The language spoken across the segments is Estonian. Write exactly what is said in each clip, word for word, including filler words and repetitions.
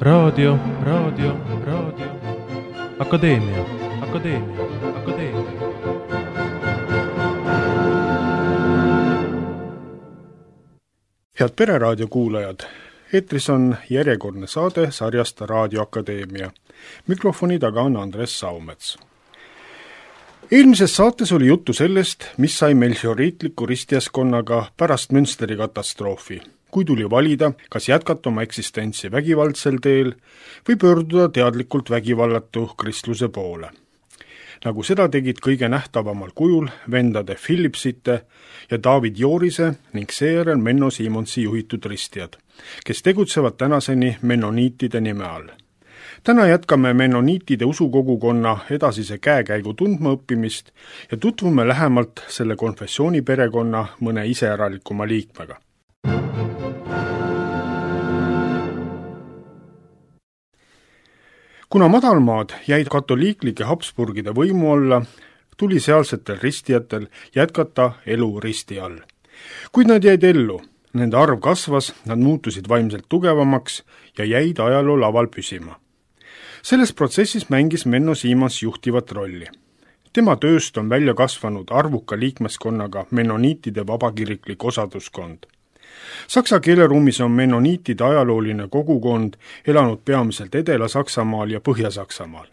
raadio, raadio, raadio, akadeemia, akadeemia, akadeemia. Head Pereraadio kuulajad, eetris on järjekordne saade sarjast Raadio Akadeemia. Mikrofoni taga on Andres Saumets. Eelmises saates oli juttu sellest, mis sai melchioriitliku ristijaskonnaga pärast Münsteri katastroofi, kui tuli valida, kas jätkata oma eksistentsi vägivaldsel teel või pöörduda teadlikult vägivallatu kristluse poole. Nagu seda tegid kõige nähtavamal kujul vendade Philipsite ja David Joorise ning seejärel Menno Siimonsi juhitud ristijad, kes tegutsevad tänaseni mennoniitide nime all. Täna jätkame mennoniitide usukogukonna edasise käekäigu tundmaõppimist ja tutvume lähemalt selle konfessiooni perekonna mõne iseäralikuma liikmega. Kuna madalmaad jäid katoliiklike Habsburgide võimu alla, tuli sealsetel ristijatel jätkata elu risti all. Kuid nad jäid ellu, nende arv kasvas, nad muutusid vaimselt tugevamaks ja jäid ajaloo laval püsima. Selles protsessis mängis Menno Siimons juhtivat rolli. Tema tööst on välja kasvanud arvuka liikmeskonnaga mennoniitide vabakiriklik osaduskond. Saksa keeleruumis on mennoniitide ajalooline kogukond elanud peamiselt Edela-Saksamaal ja Põhja-Saksamaal.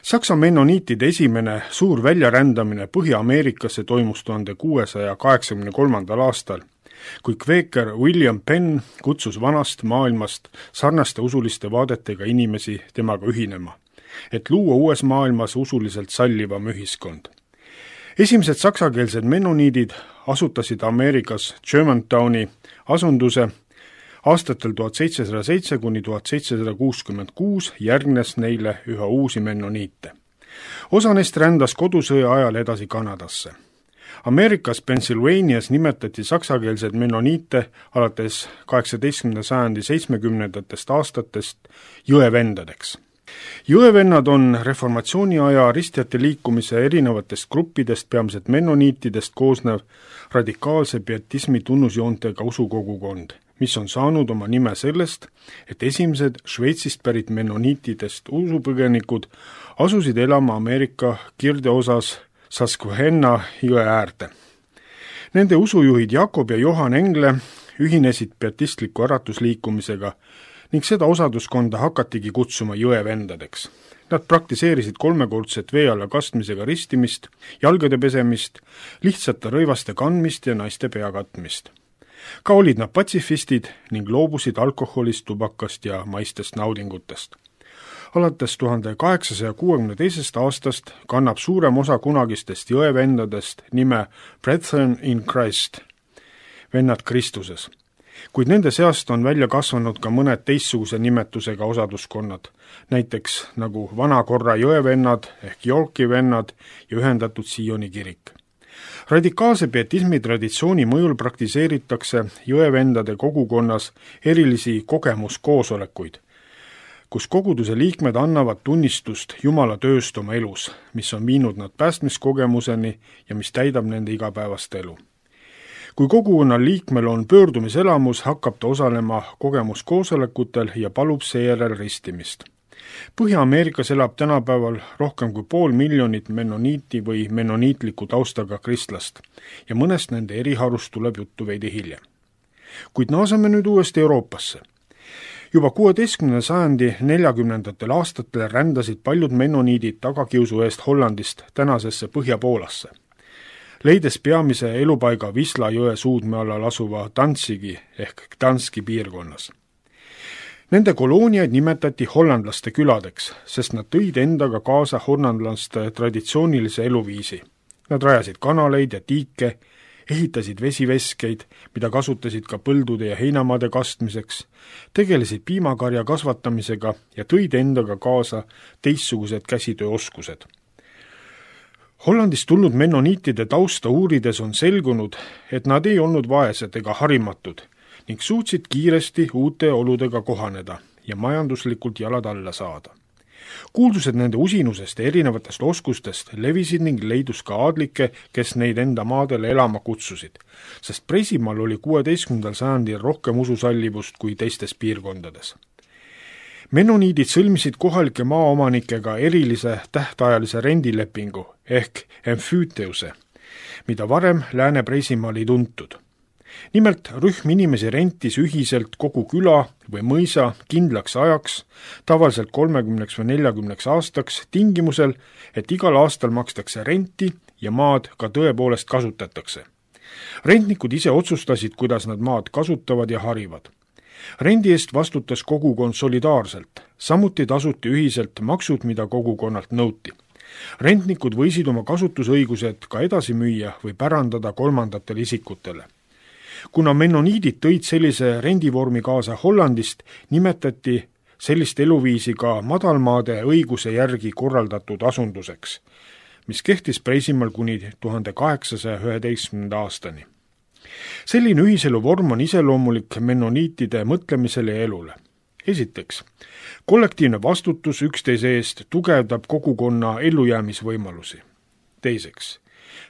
Saksa mennoniitide esimene suur väljarändamine Põhja-Ameerikasse toimus tuhande kuuesaja kaheksakümne kolmandal aastal, kui kveeker William Penn kutsus vanast maailmast sarnaste usuliste vaadetega inimesi temaga ühinema, et luua uues maailmas usuliselt sallivam ühiskond. Esimesed saksakeelsed mennoniidid asutasid Ameerikas Germantowni asunduse aastatel tuhat seitsesada seitse kuni tuhat seitsesada kuuskümmend kuus järgnes neile üha uusi mennoniite. Osa neist rändas kodusõja ajal edasi Kanadasse. Ameerikas Pennsylvanias nimetati saksakeelsed mennoniite alates kaheksateistkümnenda sajandi seitsmekümnendatest aastatest jõevendadeks. Jõevennad on reformatsiooni aja ristijate liikumise erinevatest gruppidest, peamiselt mennoniitidest koosnev radikaalse pietismi tunnusjoontega usukogukond, mis on saanud oma nime sellest, et esimesed Šveitsist pärit mennoniitidest usupõgenikud asusid elama Ameerika kirdeosas Susquehanna jõe äärde. Nende usujuhid Jakob ja Johan Engle ühinesid pietistliku äratusliikumisega ning seda osaduskonda hakatigi kutsuma jõevendadeks. Nad praktiseerisid kolmekordset vee alla kastmisega ristimist, jalgade pesemist, lihtsate rõivaste kandmist ja naiste pea katmist. Ka olid nad patsifistid ning loobusid alkoholist, tubakast ja maistest naudingutest. Alates tuhande kaheksasaja kuuekümne teisest aastast kannab suurem osa kunagistest jõevendadest nime Brethren in Christ, vennad Kristuses. Kuid nende seast on välja kasvanud ka mõned teistsuguse nimetusega osaduskonnad, näiteks nagu Vanakorra jõevennad ehk Yorki vennad ja ühendatud Sioni kirik. Radikaalse pietismi traditsiooni mõjul praktiseeritakse jõevendade kogukonnas erilisi kogemuskoosolekuid, kus koguduse liikmed annavad tunnistust Jumala tööst oma elus, mis on viinud nad päästmiskogemuseni ja mis täidab nende igapäevast elu. Kui kogukonna liikmel on pöördumiselamus, hakkab ta osalema kogemuskoosolekutel ja palub seejärel ristimist. Põhja-Ameerikas elab tänapäeval rohkem kui pool miljonit mennoniiti või mennoniitliku taustaga kristlast ja mõnest nende eriharust tuleb juttu veidi hiljem. Kuid naasame nüüd uuesti Euroopasse. Juba kuueteistkümnenda sajandi neljakümnendatel aastatel rändasid paljud mennoniidid tagakiusu eest Hollandist tänasesse Põhja-Poolasse, leides peamise elupaiga Wisla jõe suudme allal asuva Danzigi ehk Gdanski piirkonnas. Nende kolooniaid nimetati hollandlaste küladeks, sest nad tõid endaga kaasa hollandlaste traditsioonilise eluviisi. Nad rajasid kanaleid ja tiike, ehitasid vesiveskeid, mida kasutasid ka põldude ja heinamaade kastmiseks, tegelesid piimakarja kasvatamisega ja tõid endaga kaasa teistsugused käsitööoskused. Hollandist tulnud mennoniitide tausta uurides on selgunud, et nad ei olnud vaesed ega harimatud ning suutsid kiiresti uute oludega kohaneda ja majanduslikult jalad alla saada. Kuuldused nende usinusest ja erinevatest oskustest levisid ning leidus ka aadlikke, kes neid enda maadele elama kutsusid, sest Preisimaal oli kuueteistkümnendal sajandil rohkem ususallivust kui teistes piirkondades. Mennoniidid sõlmisid kohalike maaomanikega erilise tähtajalise rendilepingu ehk emfüüteuse, mida varem Lääne-Preisimaal ei tuntud. Nimelt rühm inimesi rentis ühiselt kogu küla või mõisa kindlaks ajaks, tavaliselt kolmekümneks või neljakümneks aastaks, tingimusel, et igal aastal makstakse renti ja maad ka tõepoolest kasutatakse. Rentnikud ise otsustasid, kuidas nad maad kasutavad ja harivad. Rendi eest vastutas kogukond solidaarselt, samuti tasuti ühiselt maksud, mida kogukonnalt nõuti. Rentnikud võisid oma kasutusõigused ka edasi müüa või pärandada kolmandatele isikutele. Kuna mennoniidid tõid sellise rendivormi kaasa Hollandist, nimetati sellist eluviisi ka madalmaade õiguse järgi korraldatud asunduseks, mis kehtis Preisimaal kuni tuhande kaheksasaja üheteistkümnenda aastani. Selline ühiselu vorm on iseloomulik mennoniitide mõtlemisele ja elule. Esiteks, kollektiivne vastutus üksteise eest tugevdab kogukonna ellujäämisvõimalusi. Teiseks,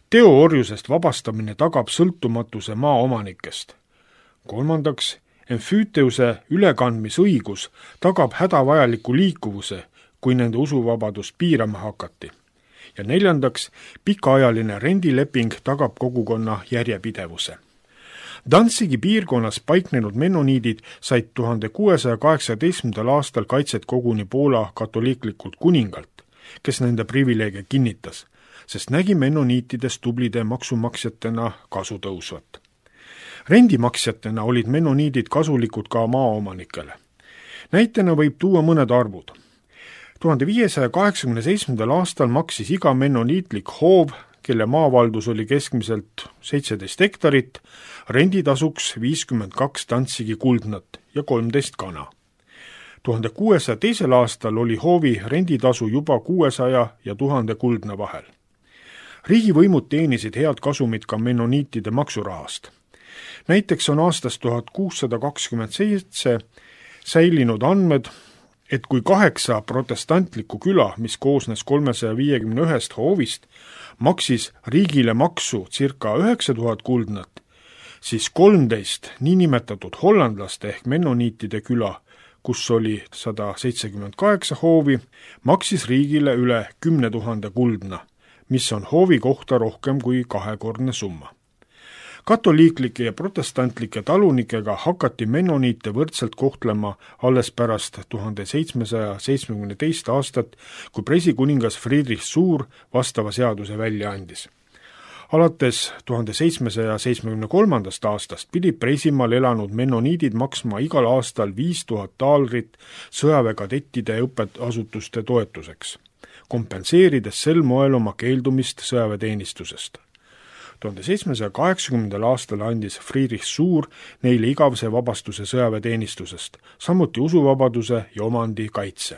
teoorjusest vabastamine tagab sõltumatuse maaomanikest. Kolmandaks, emfüüteuse ülekandmisõigus tagab hädavajaliku liikuvuse, kui nende usuvabadust piirama hakati. Ja neljandaks, pikaajaline rendileping tagab kogukonna järjepidevuse. Danzigi piirkonnas paiknenud mennoniidid said tuhande kuuesaja kaheksateistkümnendal aastal kaitset koguni Poola katoliiklikult kuningalt, kes nende privileege kinnitas, sest nägi mennoniitidest tublide maksumaksjatena kasu tõusvat. Rendimaksjatena olid mennoniidid kasulikud ka maaomanikele. Näitena võib tuua mõned arvud. tuhande viiesaja kaheksakümne seitsmendal aastal maksis iga mennoniitlik hoov, kelle maavaldus oli keskmiselt seitseteist hektarit, renditasuks viiskümmend kaks Danzigi kuldnat ja kolmteist kana. tuhande kuuesaja teisel aastal oli hoovi renditasu juba kuuesaja ja tuhande kuldna vahel. Riigivõimud teenisid head kasumit ka mennoniitide maksurahast. Näiteks on aastast tuhat kuussada kakskümmend seitse säilinud andmed, et kui kaheksa protestantlikku küla, mis koosnes kolmesaja viiekümne ühest hoovist, maksis riigile maksu circa üheksa tuhat kuldnat, siis kolmteist niinimetatud hollandlaste ehk mennoniitide küla, kus oli sada seitsekümmend kaheksa hoovi, maksis riigile üle kümne tuhande kuldna, mis on hoovi kohta rohkem kui kahekordne summa. Katoliiklike ja protestantlike talunikega hakati mennoniite võrdselt kohtlema alles pärast tuhande seitsmesaja seitsmekümne teist aastat, kui preisikuningas Friedrich Suur vastava seaduse välja andis. Alates tuhande seitsmesaja seitsmekümne kolmandast aastast pidid Preisimaal elanud mennoniidid maksma igal aastal viis tuhat taalrit sõjaväekadettide õppeasutuste toetuseks, kompenseerides sel moel oma keeldumist sõjaväeteenistusest. tuhande seitsmesaja kaheksakümnendal aastal andis Friedrich Suur neile igavese vabastuse sõjaväeteenistusest, samuti usuvabaduse ja omandi kaitse.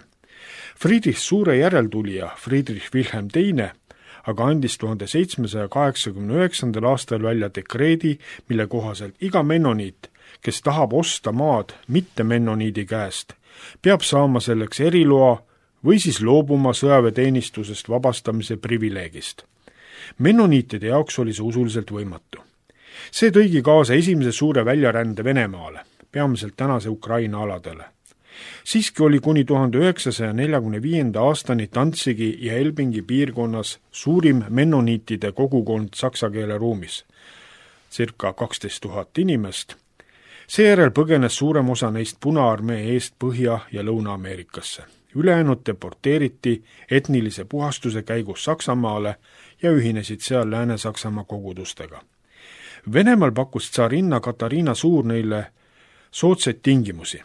Friedrich Suure järeltulija Friedrich Wilhelm teine aga andis tuhande seitsmesaja kaheksakümne üheksandal aastal välja dekreedi, mille kohaselt iga mennoniit, kes tahab osta maad mitte mennoniidi käest, peab saama selleks eriloa või siis loobuma sõjaväeteenistusest vabastamise privileegist. Mennoniitide jaoks oli see usuliselt võimatu. See tõigi kaasa esimese suure väljarände Venemaale, peamiselt tänase Ukraina aladele. Siiski oli kuni tuhande üheksasaja neljakümne viienda aastani Danzigi ja Elbingi piirkonnas suurim mennoniitide kogukond saksa keele ruumis, circa kaksteist tuhat inimest. Seejärel põgenes suurem osa neist Punaarmee eest Põhja- ja Lõuna-Ameerikasse. Ülejäänud deporteeriti etnilise puhastuse käigus Saksamaale ja ühinesid seal Lääne-Saksamaa kogudustega. Venemaal pakkus tsarinna Katariina Suur neile soodsaid tingimusi,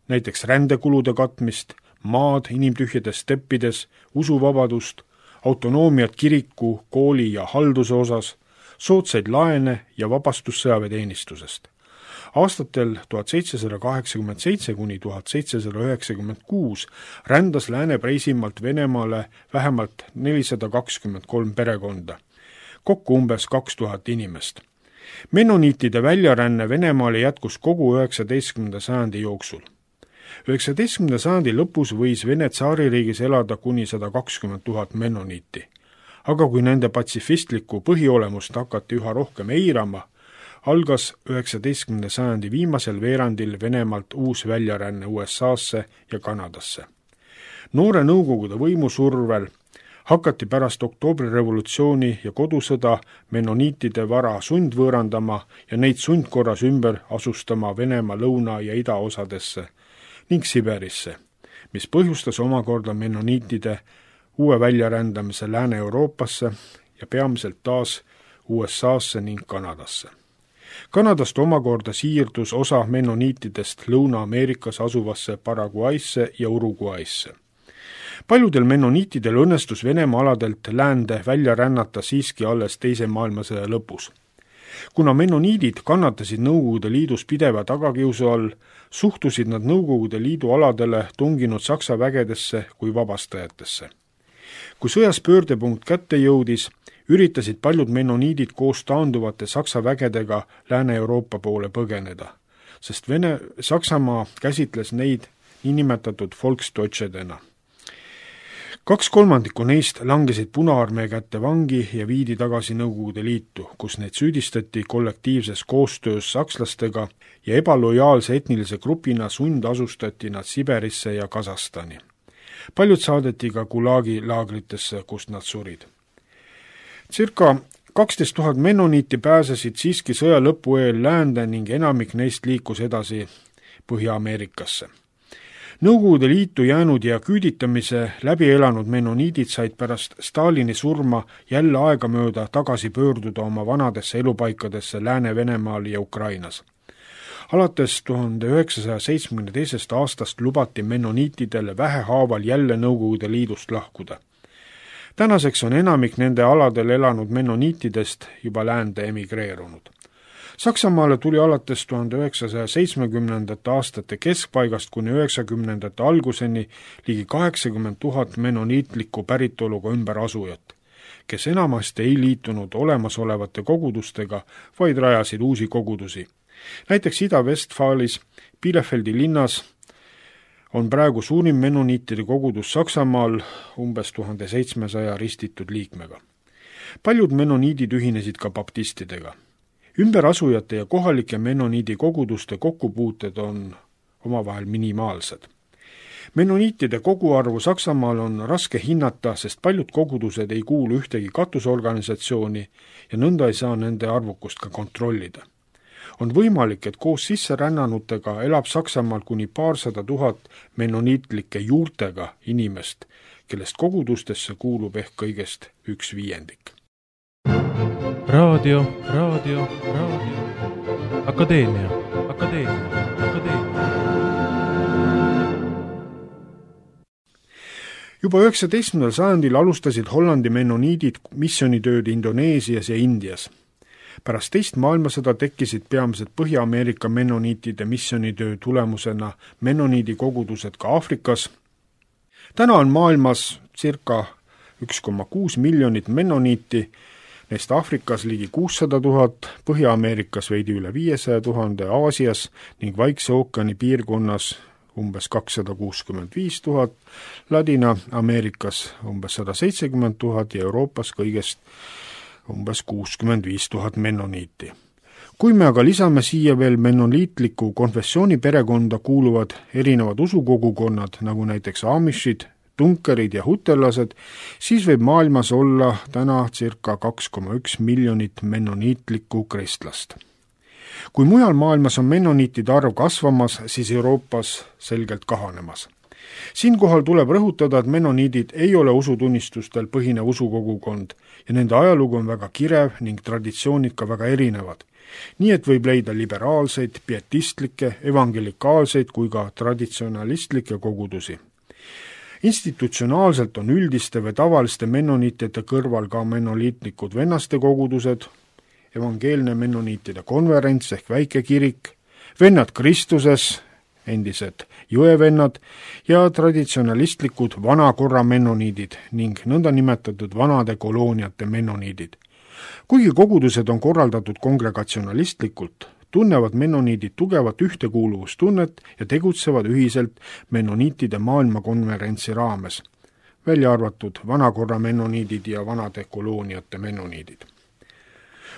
näiteks rändekulude katmist, maad inimtühjades steppides, usuvabadust, autonoomiat kiriku, kooli ja halduse osas, soodsaid laene ja vabastus sõjaväeteenistusest. Aastatel tuhat seitsesada kaheksakümmend seitse kuni tuhat seitsesada üheksakümmend kuus rändas Lääne-Preisimaalt Venemaale vähemalt nelisada kakskümmend kolm perekonda, kokku umbes kaks tuhat inimest. Mennoniitide väljaränne Venemaale jätkus kogu üheksateistkümnenda sajandi jooksul. üheksateistkümnenda sajandi lõpus võis Vene tsaaririigis elada kuni sada kakskümmend tuhat mennoniiti. Aga kui nende patsifistlikku põhiolemust hakati üha rohkem eirama, algas üheksateistkümnenda sajandi viimasel veerandil Venemaalt uus väljaränne U S A-sse ja Kanadasse. Noore Nõukogude võimusurvel hakati pärast oktoobrirevolutsiooni ja kodusõda menoniitide vara sundvõõrandama ja neid sundkorras ümber asustama Venemaa lõuna- ja idaosadesse ning Siberisse, mis põhjustas omakorda menoniitide uue väljarändamise Lääne-Euroopasse ja peamiselt taas U S A-sse ning Kanadasse. Kanadast omakorda siirdus osa menoniitidest Lõuna-Ameerikas asuvasse Paraguaysse ja Uruguaysse. Paljudel menoniitidel õnnestus Venemaa aladelt läände välja rännata siiski alles teise maailmasõja lõpus. Kuna menoniidid kannatasid Nõukogude Liidus pideva tagakiusu all, suhtusid nad Nõukogude Liidu aladele tunginud Saksa vägedesse kui vabastajatesse. Kui sõjas pöördepunkt kätte jõudis, üritasid paljud menoniidid koos taanduvate Saksa vägedega Lääne-Euroopa poole põgeneda, sest Vene Saksamaa käsitles neid niinimetatud Volksdeutschedena. Kaks kolmandikku neist langesid Punaarmee kätte vangi ja viidi tagasi Nõukogude Liitu, kus neid süüdistati kollektiivses koostöös sakslastega ja ebalojaalse etnilise grupina sundasustati nad Siberisse ja Kasahstani. Paljud saadeti ka Gulagi laagritesse, kust nad surid. Circa kaksteist tuhat menoniiti pääsesid siiski sõja lõpu eel läände ning enamik neist liikus edasi Põhja-Ameerikasse. Nõukogude Liitu jäänud ja küüditamise läbi elanud menoniidid said pärast Stalini surma jälle aegamööda tagasi pöörduda oma vanadesse elupaikadesse Lääne-Venemaal ja Ukrainas. Alates tuhande üheksasaja seitsmekümne teisest aastast lubati menoniitidele vähehaaval jälle Nõukogude Liidust lahkuda. Tänaseks on enamik nende aladel elanud menoniitidest juba läände emigreerunud. Saksamaale tuli alates tuhande üheksasaja seitsmekümnendate aastate keskpaigast kuni üheksakümnendate alguseni ligi kaheksakümmend tuhat menoniitliku päritoluga ümberasujat, kes enamasti ei liitunud olemasolevate kogudustega, vaid rajasid uusi kogudusi. Näiteks Ida-Vestfaalis Bielefeldi linnas on praegu suurim menoniitide kogudus Saksamaal umbes tuhande seitsmesaja ristitud liikmega. Paljud menoniidid ühinesid ka baptistidega. Ümberasujate ja kohalike menoniidi koguduste kokkupuuted on omavahel minimaalsed. Menoniitide koguarvu Saksamaal on raske hinnata, sest paljud kogudused ei kuulu ühtegi katusorganisatsiooni ja nõnda ei saa nende arvukust ka kontrollida. On võimalik, et koos sisserännanutega elab Saksamaal kuni paarsada tuhat menoniitlike juurtega inimest, kellest kogudustesse kuulub ehk kõigest üks viiendik. Raadio, raadio, raadio. Akadeemia, akadeemia, akadeemia. Juba üheksateistkümnendal sajandil alustasid Hollandi menoniidid missioonitööd Indoneesias ja Indias. Pärast teist maailmasõda tekkisid peamiselt Põhja-Ameerika menoniitide missioonitöö tulemusena menoniidi kogudused ka Aafrikas. Täna on maailmas circa üks koma kuus miljonit menoniiti, neist Aafrikas ligi kuussada tuhat, Põhja-Ameerikas veidi üle viiesaja tuhande, Aasias ning Vaikse ookeani piirkonnas umbes kakssada kuuskümmend viis tuhat, Ladina-Ameerikas umbes sada seitsekümmend tuhat ja Euroopas kõigest umbes kuuskümmend viis tuhat menoniiti. Kui me aga lisame siia veel menoniitliku konfessiooni perekonda kuuluvad erinevad usukogukonnad, nagu näiteks Amishid, tunkerid ja hutellased, siis võib maailmas olla täna circa kaks koma üks miljonit menoniitlikku kristlast. Kui mujal maailmas on menoniitide arv kasvamas, siis Euroopas selgelt kahanemas. Siinkohal tuleb rõhutada, et menoniidid ei ole usutunnistustel põhinev usukogukond ja nende ajalugu on väga kirev ning traditsioonid ka väga erinevad. Nii et võib leida liberaalseid, pietistlikke, evangelikaalseid kui ka traditsionalistlikke kogudusi. Institutsionaalselt on üldiste või tavaliste menoniitide kõrval ka menoliitlikud vennaste kogudused, evangeelne menoniitide konverents ehk väike kirik, vennad Kristuses, endised jõevennad ja traditsionalistlikud vanakorra menoniidid ning nõndanimetatud vanade kolooniate menoniidid. Kuigi kogudused on korraldatud kongregatsionalistlikult, tunnevad menoniidid tugevat ühtekuuluvustunnet ja tegutsevad ühiselt menoniitide maailmakonverentsi raames, välja arvatud vanakorra menoniidid ja vanade kolooniate menoniidid.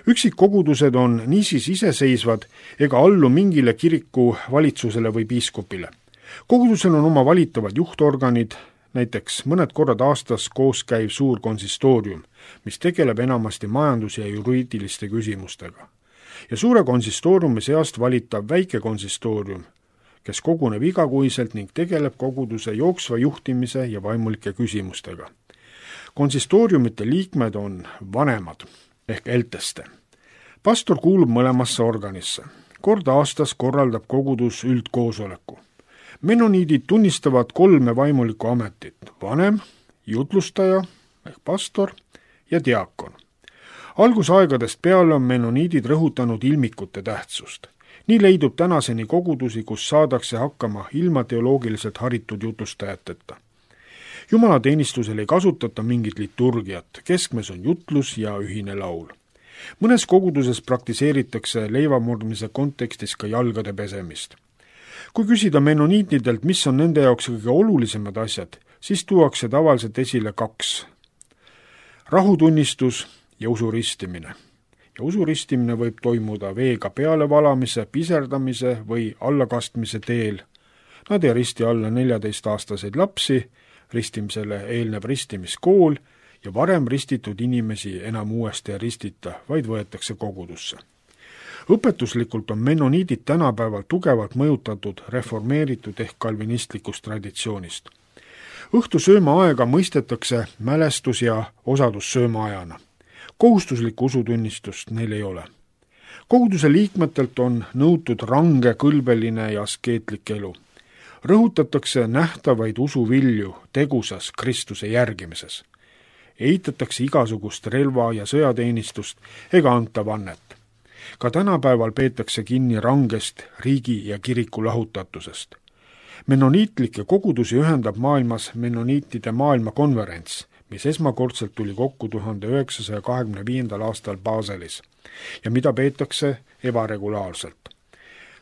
Üksikkogudused on niisiis iseseisvad ega allu mingile kiriku valitsusele või piiskopile. Kogudusel on oma valitavad juhtorganid, näiteks mõned korrad aastas koos käiv suur konsistoorium, mis tegeleb enamasti majandus- ja juriidiliste küsimustega. Ja suure konsistooriumi seast valitav väike konsistoorium, kes koguneb igakuiselt ning tegeleb koguduse jooksva juhtimise ja vaimulike küsimustega. Konsistooriumite liikmed on vanemad ehk elteste. Pastor kuulub mõlemasse organisse. Kord aastas korraldab kogudus üldkoosoleku. Menoniidid tunnistavad kolme vaimulikku ametit: vanem, jutlustaja ehk pastor ja diakon. Algusaegadest peale on menoniidid rõhutanud ilmikute tähtsust. Nii leidub tänaseni kogudusi, kus saadakse hakkama ilma teoloogiliselt haritud jutlustajateta. Jumalateenistusel ei kasutata mingit liturgiat, keskmes on jutlus ja ühine laul. Mõnes koguduses praktiseeritakse leivamurdmise kontekstis ka jalgade pesemist. Kui küsida menoniitidelt, mis on nende jaoks kõige olulisemad asjad, siis tuuakse tavaliselt esile kaks: rahutunnistus ja usuristimine. Ja usuristimine võib toimuda veega pealevalamise, piserdamise või allakastmise teel. Nad ei risti alla neljateistaastaseid lapsi, ristimisele eelneb ristimiskool ja varem ristitud inimesi enam uuesti ei ristita, vaid võetakse kogudusse. Õpetuslikult on menoniidid tänapäeval tugevalt mõjutatud reformeeritud ehk kalvinistlikust traditsioonist. Õhtusööma aega mõistetakse mälestus- ja osadussööma ajana. Kohustuslikku usutunnistust neil ei ole. Koguduse liikmetelt on nõutud range, kõlbeline ja askeetlik elu. Rõhutatakse nähtavaid usuvilju tegusas Kristuse järgimises. Eitatakse igasugust relva- ja sõjateenistust ega anta vannet. Ka tänapäeval peetakse kinni rangest riigi ja kiriku lahutatusest. Menoniitlikke kogudusi ühendab maailmas menoniitide maailmakonverents, mis esmakordselt tuli kokku tuhande üheksasaja kahekümne viiendal aastal Baselis ja mida peetakse ebaregulaarselt.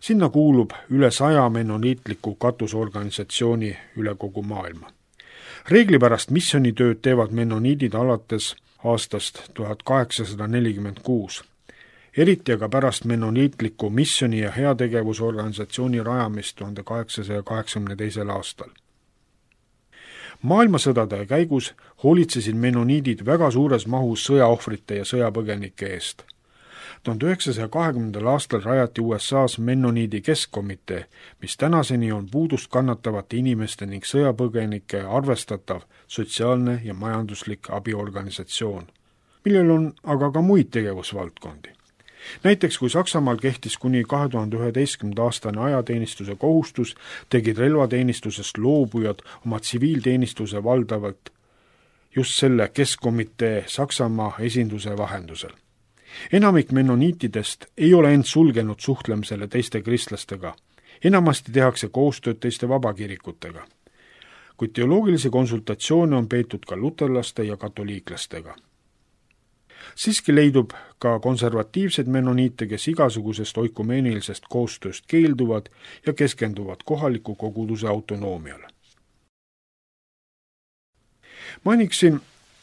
Sinna kuulub üle saja menoniitliku katusorganisatsiooni üle kogu maailma. Reeglipärast missionitööd teevad menoniidid alates aastast tuhat kaheksasada nelikümmend kuus. Eriti aga pärast menoniitliku missioni- ja heategevusorganisatsiooni rajamist tuhande kaheksasaja kaheksakümne teisel aastal. Maailmasõdade käigus hoolitsesid menoniidid väga suures mahus sõjaohvrite ja sõjapõgenike eest. tuhande üheksasaja kahekümnendal aastal rajati U S A-s menoniidi keskkomitee, mis tänaseni on puudust kannatavate inimeste ning sõjapõgenike arvestatav sotsiaalne ja majanduslik abiorganisatsioon, millel on aga ka muid tegevusvaldkondi. Näiteks kui Saksamaal kehtis kuni kahe tuhande üheteistkümnenda aastane ajateenistuse kohustus, tegid relvateenistusest loobujad oma tsiviilteenistuse valdavalt just selle keskkomitee Saksamaa esinduse vahendusel. Enamik menoniitidest ei ole end sulgenud suhtlemisele teiste kristlastega. Enamasti tehakse koostööd teiste vabakirikutega. Kuid teoloogilisi konsultatsioone on peetud ka luterlaste ja katoliiklastega. Siiski leidub ka konservatiivseid menoniite, kes igasugusest oikumeenilisest koostööst keelduvad ja keskenduvad kohaliku koguduse autonoomiale. Mainiksin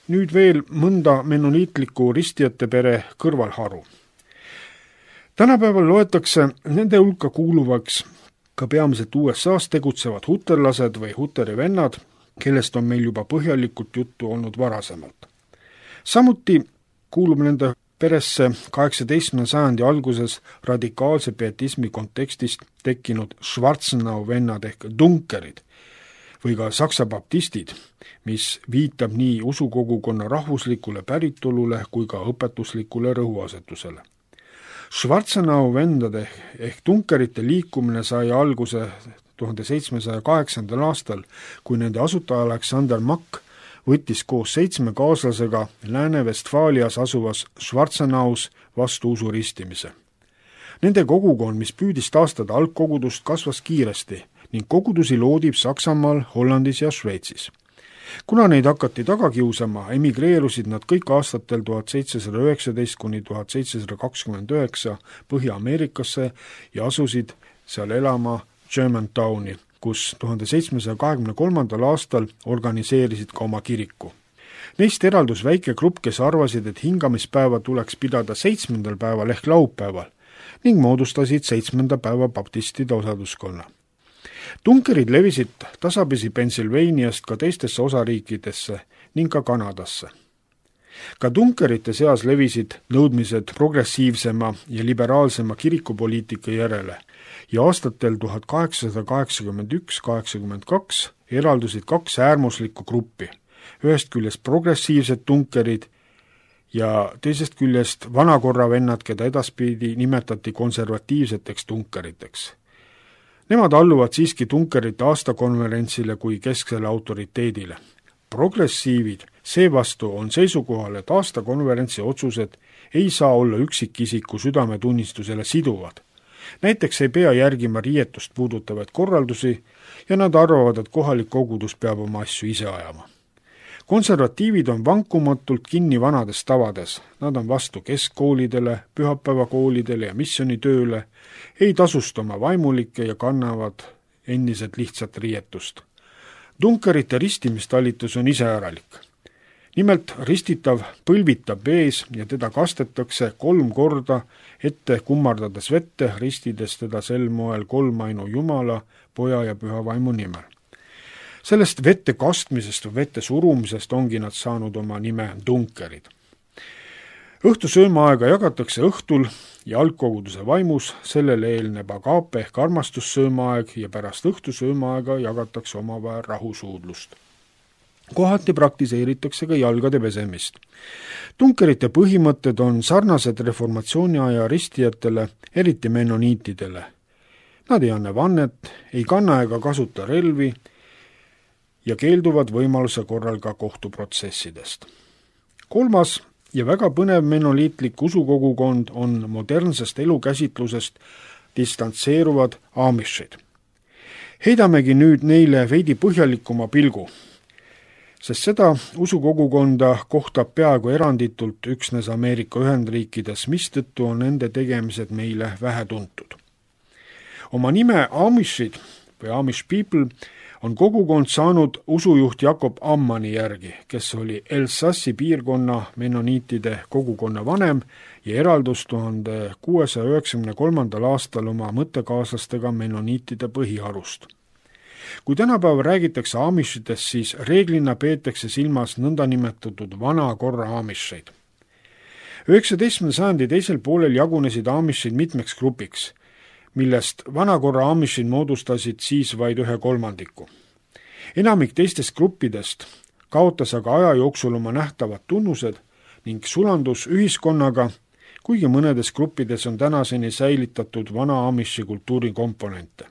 nüüd veel mõnda menoniitliku ristijate pere kõrvalharu. Tänapäeval loetakse nende hulka kuuluvaks ka peamiselt U S A-s tegutsevad huterlased või huteri vennad, kellest on meil juba põhjalikult juttu olnud varasemalt. Samuti kuulub nende peresse kaheksateistkümnenda sajandi alguses radikaalse pietismi kontekstist tekkinud Schwarzenau vennad ehk dunkerid või ka saksa baptistid, mis viitab nii usukogukonna rahvuslikule päritolule kui ka õpetuslikule rõhuasetusele. Schwarzenau vendade ehk dunkerite liikumine sai alguse tuhande seitsmesaja kaheksandal aastal, kui nende asutaja Alexander Mack võttis koos seitsme kaaslasega Lääne-Vestfaalias asuvas Schwarzenaus vastu usuristimise. Nende kogukond, mis püüdis taastada algkogudust, kasvas kiiresti ning kogudusi loodib Saksamaal, Hollandis ja Šveitsis. Kuna neid hakati taga kiusama, emigreerusid nad kõik aastatel tuhat seitsesada üheksateist kuni tuhat seitsesada kakskümmend üheksa Põhja-Ameerikasse ja asusid seal elama Germantowni, kus tuhande seitsmesaja kahekümne kolmandal aastal organiseerisid ka oma kiriku. Neist eraldus väike grupp, kes arvasid, et hingamispäeva tuleks pidada seitsmendal päeval ehk laupäeval ning moodustasid seitsmenda päeva baptistide osaduskonna. Tunkerid levisid tasapisi Pennsylvaniast ka teistesse osariikidesse ning ka Kanadasse. Ka tunkerite seas levisid nõudmised progressiivsema ja liberaalsema kirikupoliitika järele ja aastatel tuhat kaheksasada kaheksakümmend üks kaheksakümmend kaks eraldusid kaks äärmuslikku gruppi, ühest küljest progressiivsed tunkerid ja teisest küljest vanakorra vennad, keda edaspidi nimetati konservatiivseteks tunkeriteks. Nemad alluvad siiski tunkerite aastakonverentsile kui kesksele autoriteedile. Progressiivid seevastu on seisukohal, et aastakonverentsi otsused ei saa olla üksikisiku südametunnistusele siduvad. Näiteks ei pea järgima riietust puudutavaid korraldusi ja nad arvavad, et kohalik kogudus peab oma asju ise ajama. Konservatiivid on vankumatult kinni vanades tavades, nad on vastu keskkoolidele, pühapäevakoolidele ja missionitööle, ei tasusta oma vaimulikke ja kannavad endiselt lihtsat riietust. Tunkerite ristimistalitus on iseäralik. Nimelt ristitav põlvitab ees ja teda kastetakse kolm korda ette kummardades vette, ristides teda sel moel kolmainu Jumala, Poja ja Püha Vaimu nimel. Sellest vette kastmisest või vette surumisest ongi nad saanud oma nime tunkerid. Õhtusöömaaega jagatakse õhtul ja algkoguduse vaimus, sellele eelneb agape ehk armastussöömaaeg ja pärast õhtusöömaaega jagatakse omavahel rahusuudlust. Kohati praktiseeritakse ka jalgade pesemist. Tunkerite põhimõtted on sarnased reformatsiooni aja ristijatele, eriti menoniitidele. Nad ei anna vannet, ei kanna ega kasuta relvi ja keelduvad võimaluse korral ka kohtuprotsessidest. Kolmas ja väga põnev menoliitlik usukogukond on modernsest elukäsitlusest distantseeruvad aamishid. Heidamegi nüüd neile veidi põhjalikuma pilgu, sest seda usukogukonda kohtab peaaegu eranditult üksnes Ameerika Ühendriikides, mistõttu on nende tegemised meile vähe tuntud. Oma nime Amishid või Amish people on kogukond saanud usujuht Jakob Ammani järgi, kes oli Elsassi piirkonna menoniitide kogukonna vanem ja eraldus tuhande kuuesaja üheksakümne kolmandal aastal oma mõttekaaslastega menoniitide põhiharust. Kui tänapäeval räägitakse amishidest, siis reeglina peetakse silmas nõndanimetatud vana korra amisheid. üheksateistkümnenda sajandi teisel poolel jagunesid amishid mitmeks grupiks, millest vanakorra amishid moodustasid siis vaid ühe kolmandiku. Enamik teistest gruppidest kaotas aga aja jooksul oma nähtavad tunnused ning sulandus ühiskonnaga, kuigi mõnedes gruppides on tänaseni säilitatud vana amishi kultuuri komponente.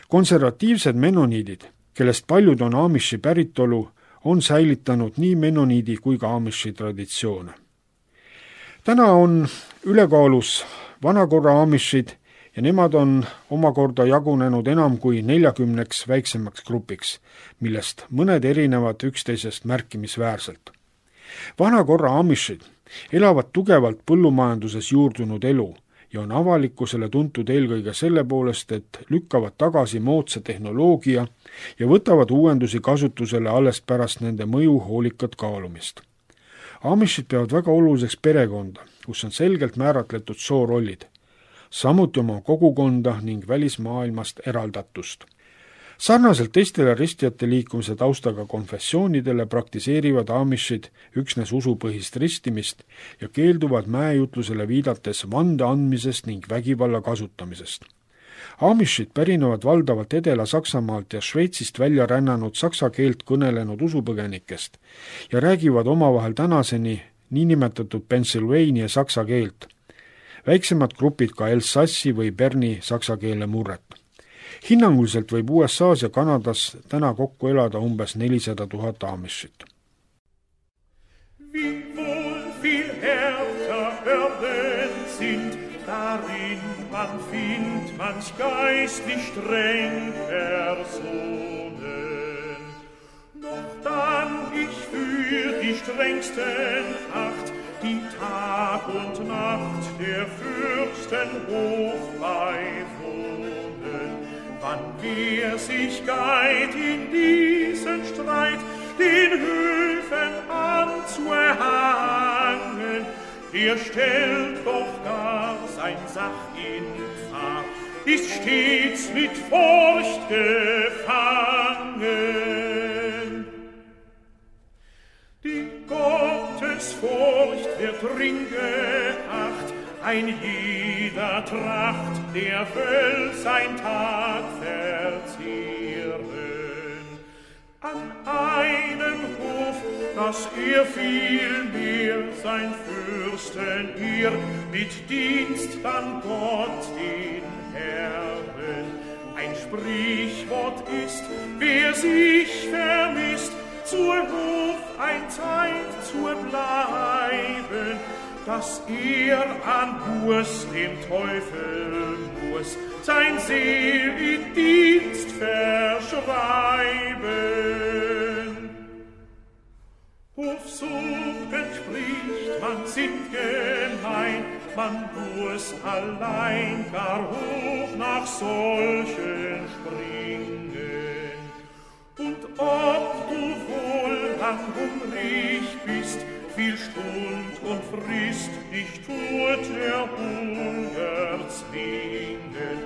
Konservatiivsed menoniidid, kellest paljud on amishi päritolu, on säilitanud nii menoniidi kui ka amishi traditsioone. Täna on ülekaalus vanakorra amishid ja nemad on omakorda jagunenud enam kui neljakümneks väiksemaks grupiks, millest mõned erinevad üksteisest märkimisväärselt. Vanakorra amishid elavad tugevalt põllumajanduses juurdunud elu ja on avalikkusele tuntud eelkõige selle poolest, et lükkavad tagasi moodsa tehnoloogia ja võtavad uuendusi kasutusele alles pärast nende mõju hoolikat kaalumist. Amishid peavad väga oluliseks perekonda, kus on selgelt määratletud soorollid, samuti oma kogukonda ning välismaailmast eraldatust. Sarnaselt teistele ristijate liikumise taustaga konfessioonidele praktiseerivad amishid üksnes usupõhist ristimist ja keelduvad mäejutlusele viidates vande andmisest ning vägivalla kasutamisest. Amishid pärinevad valdavalt Edela-Saksamaalt ja Šveitsist välja rännanud saksa keelt kõnelenud usupõgenikest ja räägivad omavahel tänaseni niinimetatud Pennsylvania saksa keelt. Väiksemad grupid ka Elsassi või Berni saksa keele murret. Hinnanguliselt võib U S A-s ja Kanadas täna kokku elada umbes nelisada tuhat amishit. Wie wohl viel härter Hürden sind, darin man findet manch geistlich streng Personen. Noch dann ich für die strengsten acht, die Tag und Nacht der Fürsten Hof beiwohnen. Wann wer sich geit in diesen Streit, den Höfen Öfen anzuerhangen, der stellt doch gar sein Sach in Gefahr, ist stets mit Furcht gefangen. Die Gottesfurcht wird dring geacht, ein jeder tracht, der will sein Tag verzehren. An einem Hof, dass er vielmehr sein Fürsten ihr mit Dienst an Gott den Herren. Ein Sprichwort ist, wer sich vermisst, zur Hof ein Zeit zu bleiben, dass er an Buß dem Teufel muss sein Seel in Dienst verschreiben. Hofsuchten spricht, man sind gemein, man muss allein gar hoch nach solchen springen. Und ob du wohl lang hungrig bist, viel Stund und Frist dich tut der Hunger zwingen,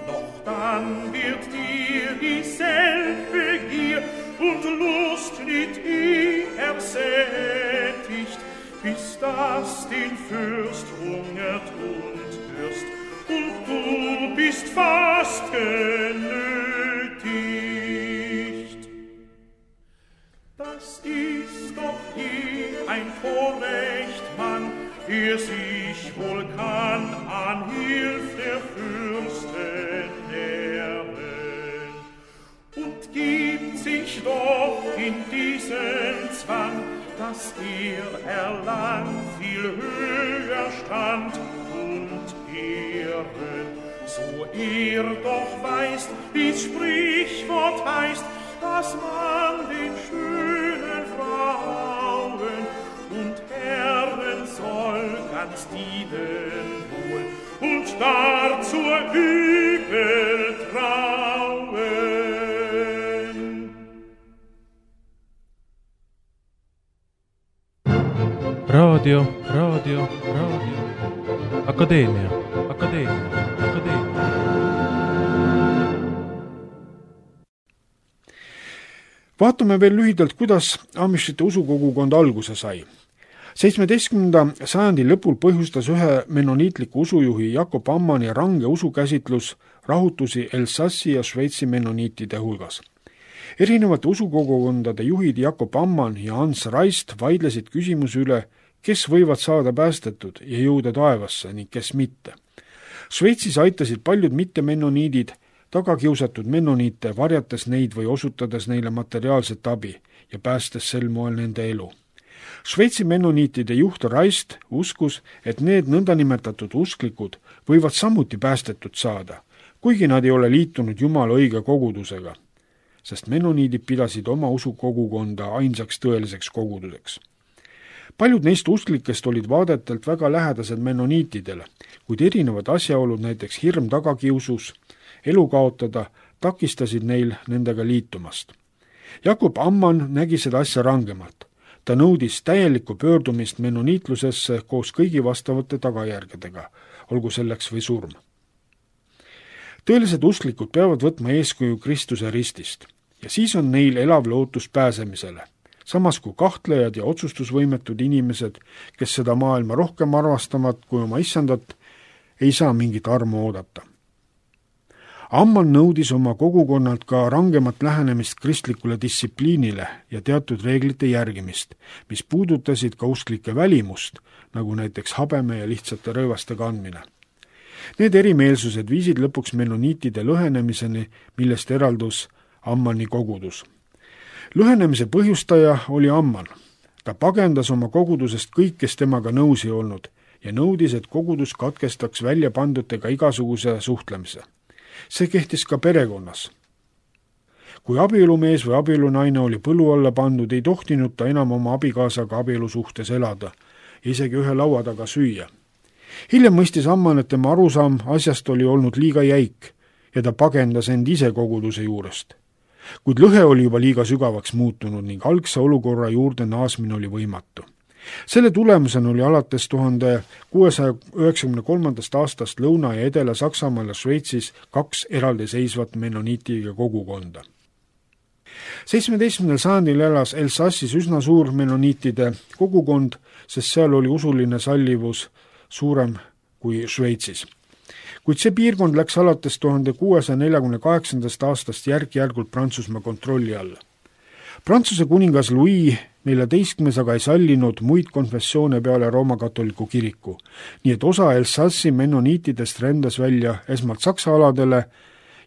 doch dann wird dir dieselbe Gier und Lust nicht eh ersättigt, bis das den Fürst hungert und dürst, und du bist fast genötigt. Das ist doch je ein Vorrecht, Mann, der sich wohl kann an Hilf der Fürsten nähren, und gibt sich doch in diesen Zwang, dass er erlangt viel höher Stand und Ehren, so er doch weiß, wie's Sprichwort heißt, dass man den schönen Frauen und Herren soll ganz dienen wohl und dar zur Übel trauen. Radio, Radio, Radio. Akadeemia, Akadeemia, Akadeemia. Vaatame veel lühidalt, kuidas amishite usukogukond alguse sai. seitsmeteistkümnenda sajandi lõpul põhjustas ühe menoniitliku usujuhi Jakob Ammani range usukäsitlus rahutusi Elsassi ja Šveitsi menoniitide hulgas. Erinevate usukogukondade juhid Jakob Amman ja Hans Raist vaidlesid küsimuse üle, kes võivad saada päästetud ja jõuda taevasse ning kes mitte. Šveitsis aitasid paljud mitte-menoniidid tagakiusatud menoniite, varjates neid või osutades neile materiaalset abi ja päästes sel moel nende elu. Šveitsi menoniitide juht Raist uskus, et need nõndanimetatud usklikud võivad samuti päästetud saada, kuigi nad ei ole liitunud Jumala õige kogudusega, sest menoniidid pidasid oma usukogukonda ainsaks tõeliseks koguduseks. Paljud neist usklikest olid vaadetelt väga lähedased menoniitidele, kuid erinevad asjaolud, näiteks hirm tagakiusus, elu kaotada, takistasid neil nendega liitumast. Jakob Amman nägi seda asja rangemalt. Ta nõudis täielikku pöördumist menoniitlusesse koos kõigi vastavate tagajärgedega, olgu selleks või surm. Tõelised usklikud peavad võtma eeskuju Kristuse ristist ja siis on neil elav lootus pääsemisele, samas kui kahtlejad ja otsustusvõimetud inimesed, kes seda maailma rohkem arvastavad kui oma issandat, ei saa mingit armu oodata. Amman nõudis oma kogukonnalt ka rangemat lähenemist kristlikule distsipliinile ja teatud reeglite järgimist, mis puudutasid ka usklike välimust, nagu näiteks habeme ja lihtsate rõivaste kandmine. Need erimeelsused viisid lõpuks menoniitide lõhenemiseni, millest eraldus Ammani kogudus. Lõhenemise põhjustaja oli Amman. Ta pagendas oma kogudusest kõik, kes temaga nõus ei olnud ja nõudis, et kogudus katkestaks välja pandutega igasuguse suhtlemise. See kehtis ka perekonnas. Kui abielumees või abielunaine oli põlu alla pandud, ei tohtinud ta enam oma abikaasaga abielusuhtes elada, isegi ühe laua taga süüa. Hiljem mõistis Amman, et tema arusaam asjast oli olnud liiga jäik ja ta pagendas end ise koguduse juurest. kuid lõhe oli juba liiga sügavaks muutunud ning algse olukorra juurde naasmine oli võimatu. Selle tulemusena oli alates tuhande kuuesaja üheksakümne kolmandast aastast Lõuna- ja Edela-Saksamaal ja Šveitsis kaks eraldiseisvat mennoniitide kogukonda. seitsmeteistkümnendal sajandil elas Elsassis üsna suur mennoniitide kogukond, sest seal oli usuline sallivus suurem kui Šveitsis. Kuid see piirkond läks alates tuhande kuuesaja neljakümne kaheksandast aastast järk-järgult Prantsusmaa kontrolli alla. Prantsuse kuningas Louis neljateistkümnes aga ei sallinud muid konfessioone peale Rooma katoliku kiriku, nii et osa Elsassi mennoniitidest rändas välja esmalt Saksa aladele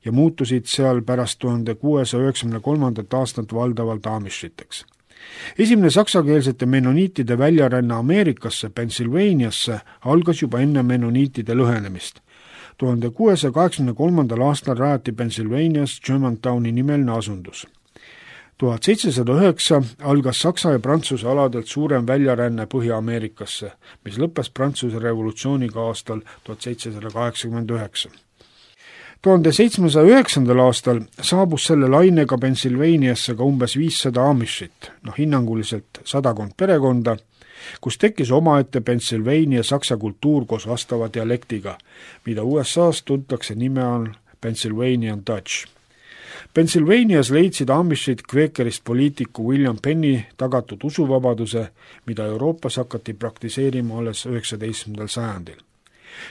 ja muutusid seal pärast tuhande kuuesaja üheksakümne kolmandat aastat valdavalt amishiteks. Esimene saksakeelsete mennoniitide väljaränne Ameerikasse, Pennsylvaniasse algas juba enne mennoniitide lõhenemist. tuhande kuuesaja kaheksakümne kolmandal aastal rajati Pennsylvanias Germantowni nimeline asundus. tuhat seitsesada üheksa algas Saksa ja Prantsuse aladelt suurem väljaränne Põhja-Ameerikasse, mis lõppes Prantsuse revolutsiooniga aastal tuhat seitsesada kaheksakümmend üheksa. tuhande seitsmesaja üheksandal aastal saabus selle lainega Pennsylvaniasse ka umbes viissada amishit, noh hinnanguliselt sadakond perekonda, kus tekkis omaette Pennsylvania saksa kultuur koos vastava dialektiga, mida U S A-s tuntakse nime all Pennsylvanian Dutch. Pennsylvanias leidsid amishid kveekerist poliitiku William Penny tagatud usuvabaduse, mida Euroopas hakati praktiseerima alles üheksateistkümnendal sajandil.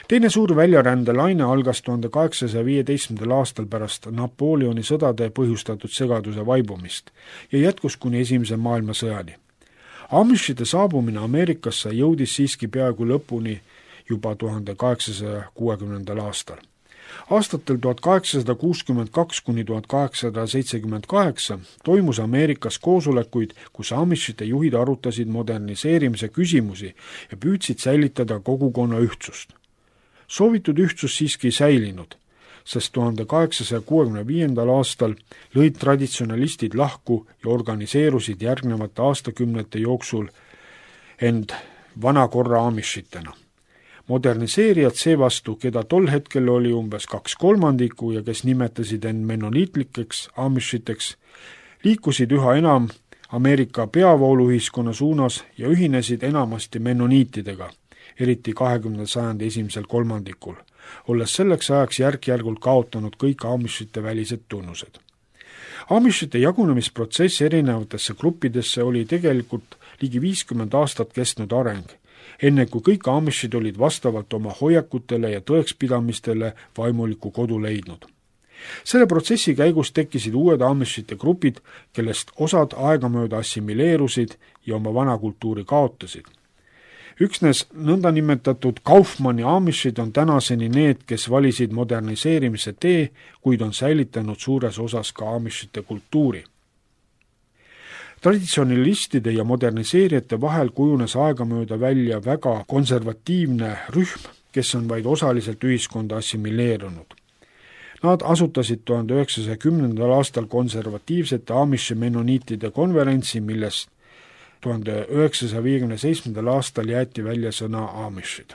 Teine suur väljarändelaine algas tuhande kaheksasaja viieteistkümnendal aastal pärast Napoleoni sõdade põhjustatud segaduse vaibumist ja jätkus kuni esimese maailmasõjani. Amishite saabumine Ameerikasse jõudis siiski peaaegu lõpuni juba tuhande kaheksasaja kuuekümnendal aastal. Aastatel tuhat kaheksasada kuuskümmend kaks kuni tuhat kaheksasada seitsekümmend kaheksa toimus Ameerikas koosolekuid, kus amishite juhid arutasid moderniseerimise küsimusi ja püüdsid säilitada kogukonna ühtsust. Soovitud ühtsus siiski ei säilinud, sest tuhande kaheksasaja kuuekümne viiendal aastal lõid traditsionalistid lahku ja organiseerusid järgnevate aastakümnete jooksul end vana korra amishitena. Moderniseerijad seevastu, keda tol hetkel oli umbes kaks kolmandikku ja kes nimetasid end mennoniitlikeks amishiteks, liikusid üha enam Ameerika peavooluühiskonna suunas ja ühinesid enamasti mennoniitidega, eriti kahekümnenda sajandi esimesel kolmandikul, olles selleks ajaks järk-järgult kaotanud kõik amishite välised tunnused. Amishite jagunemisprotsess erinevatesse gruppidesse oli tegelikult ligi viiskümmend aastat kestnud areng, enne kui kõik amishid olid vastavalt oma hoiakutele ja tõekspidamistele vaimuliku kodu leidnud. Selle protsessi käigus tekkisid uued amishite grupid, kellest osad aegamööda assimileerusid ja oma vana kultuuri kaotasid. Üksnes nõndanimetatud Kaufmanni amishid on tänaseni need, kes valisid moderniseerimise tee, kuid on säilitanud suures osas ka amishite kultuuri. Traditsionalistide ja moderniseerijate vahel kujunes aegamööda välja väga konservatiivne rühm, kes on vaid osaliselt ühiskonda assimileerunud. Nad asutasid tuhande üheksasaja kümnendal aastal konservatiivsete amishi mennoniitide konverentsi, millest tuhande üheksasaja viiekümne seitsmendal aastal jäeti välja sõna amishid.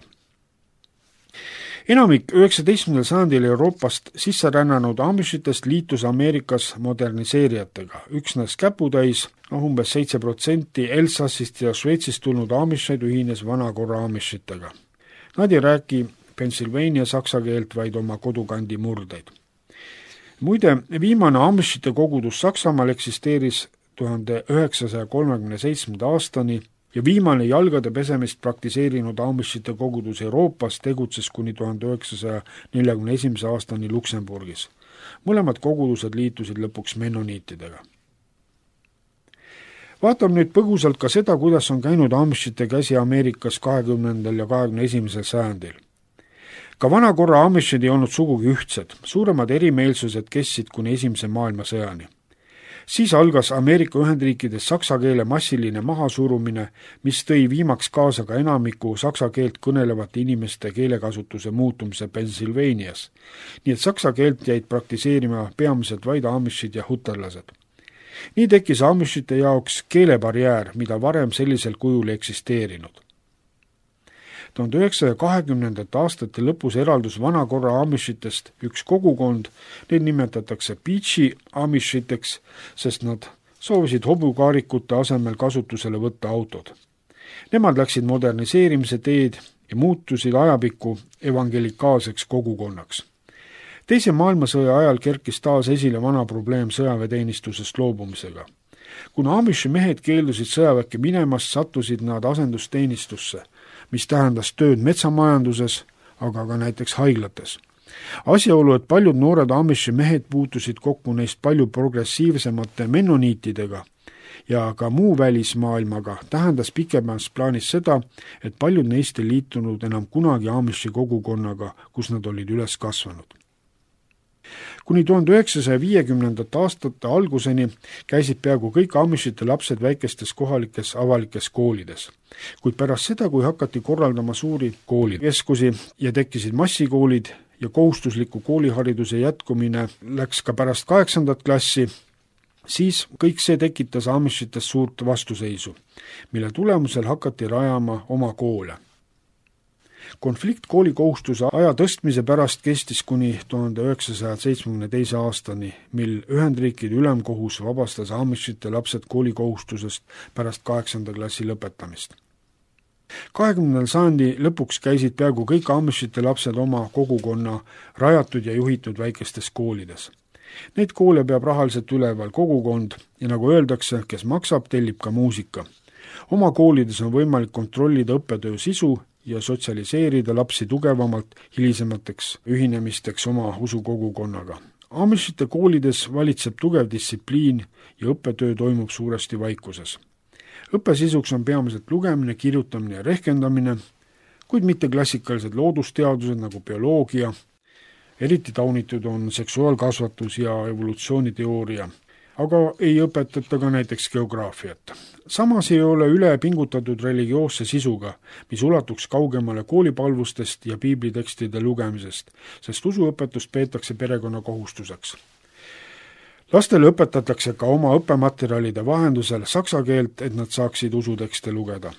Enamik üheksateistkümnendal sajandil Euroopast sisse rännanud amishitest liitus Ameerikas moderniseerijatega. Üksnes käputäis, noh umbes seitse protsenti Elsassist ja Šveitsist tulnud amishid ühines vanakorra amishitega. Nad ei räägi Pennsylvania saksa keelt, vaid oma kodukandi murdeid. Muide, viimane amishite kogudus Saksamaal eksisteeris tuhande üheksasaja kolmekümne seitsmenda aastani ja viimane jalgade pesemist praktiseerinud amishite kogudus Euroopas tegutses kuni tuhande üheksasaja neljakümne esimese aastani Luksemburgis. Mõlemad kogudused liitusid lõpuks mennoniitidega. Vaatame nüüd põgusalt ka seda, kuidas on käinud amishite käsi Ameerikas kahekümnendal ja kahekümne esimesel sajandil. Ka vanakorra amishid ei olnud sugugi ühtsed, suuremad erimeelsused kestsid kuni esimese maailmasõjani. Siis algas Ameerika Ühendriikides saksa keele massiline mahasurumine, mis tõi viimaks kaasa ka enamiku saksa keelt kõnelevate inimeste keelekasutuse muutumise Pennsylvanias, nii et saksa keelt jäid praktiseerima peamiselt vaid amishid ja hutarlased. Nii tekkis amishite jaoks keelebarjäär, mida varem sellisel kujul eksisteerinud. tuhande üheksasaja kahekümnendate aastate lõpus eraldus vanakorra amishitest üks kogukond, neid nimetatakse Beachi amishiteks, sest nad soovisid hobukaarikute asemel kasutusele võtta autod. Nemad läksid moderniseerimise teed ja muutusid ajapikku evangelikaalseks kogukonnaks. Teise maailmasõja ajal kerkis taas esile vana probleem sõjaväeteenistusest loobumisega. Kuna Amishi mehed keeldusid sõjaväkke minemast, sattusid nad asendusteenistusse, mis tähendas tööd metsamajanduses, aga ka näiteks haiglates. Asjaolu, et paljud noored Amishi mehed puutusid kokku neist palju progressiivsemate mennoniitidega ja ka muu välismaailmaga, tähendas pikemas plaanis seda, et paljud neist ei liitunud enam kunagi Amishi kogukonnaga, kus nad olid üles kasvanud. Kuni tuhande üheksasaja viiekümnendate aastate alguseni käisid peaaegu kõik Amishite lapsed väikestes kohalikes avalikes koolides. Kuid pärast seda, kui hakati korraldama suuri koolikeskusi ja tekkisid massikoolid ja kohustusliku koolihariduse jätkumine läks ka pärast kaheksandat klassi, siis kõik see tekitas Amishites suurt vastuseisu, mille tulemusel hakati rajama oma koole. Konflikt koolikohustuse aja tõstmise pärast kestis kuni tuhande üheksasaja seitsmekümne teise aastani, mil Ühendriikide ülemkohus vabastas Amishite lapsed koolikohustusest pärast kaheksanda klassi lõpetamist. kahekümnendal sajandi lõpuks käisid peaaegu kõik Amishite lapsed oma kogukonna rajatud ja juhitud väikestes koolides. Neid koole peab rahaliselt üleval kogukond ja nagu öeldakse, kes maksab, tellib ka muusika. Oma koolides on võimalik kontrollida õppetöö sisu ja sotsialiseerida lapsi tugevamalt hilisemateks ühinemisteks oma usukogukonnaga. Amishite koolides valitseb tugev distsipliin ja õppetöö toimub suuresti vaikuses. Õppesisuks on peamiselt lugemine, kirjutamine ja rehkendamine, kuid mitte klassikalised loodusteadused nagu bioloogia. Eriti taunitud on seksuaalkasvatus ja evolutsiooniteooria, aga ei õpetata ka näiteks geograafiat. Samas ei ole üle pingutatud religioosse sisuga, mis ulatuks kaugemale koolipalvustest ja piiblitekstide lugemisest, sest usuõpetust peetakse perekonna kohustuseks. Lastele õpetatakse ka oma õppematerjalide vahendusel saksa keelt, et nad saaksid usutekste lugeda.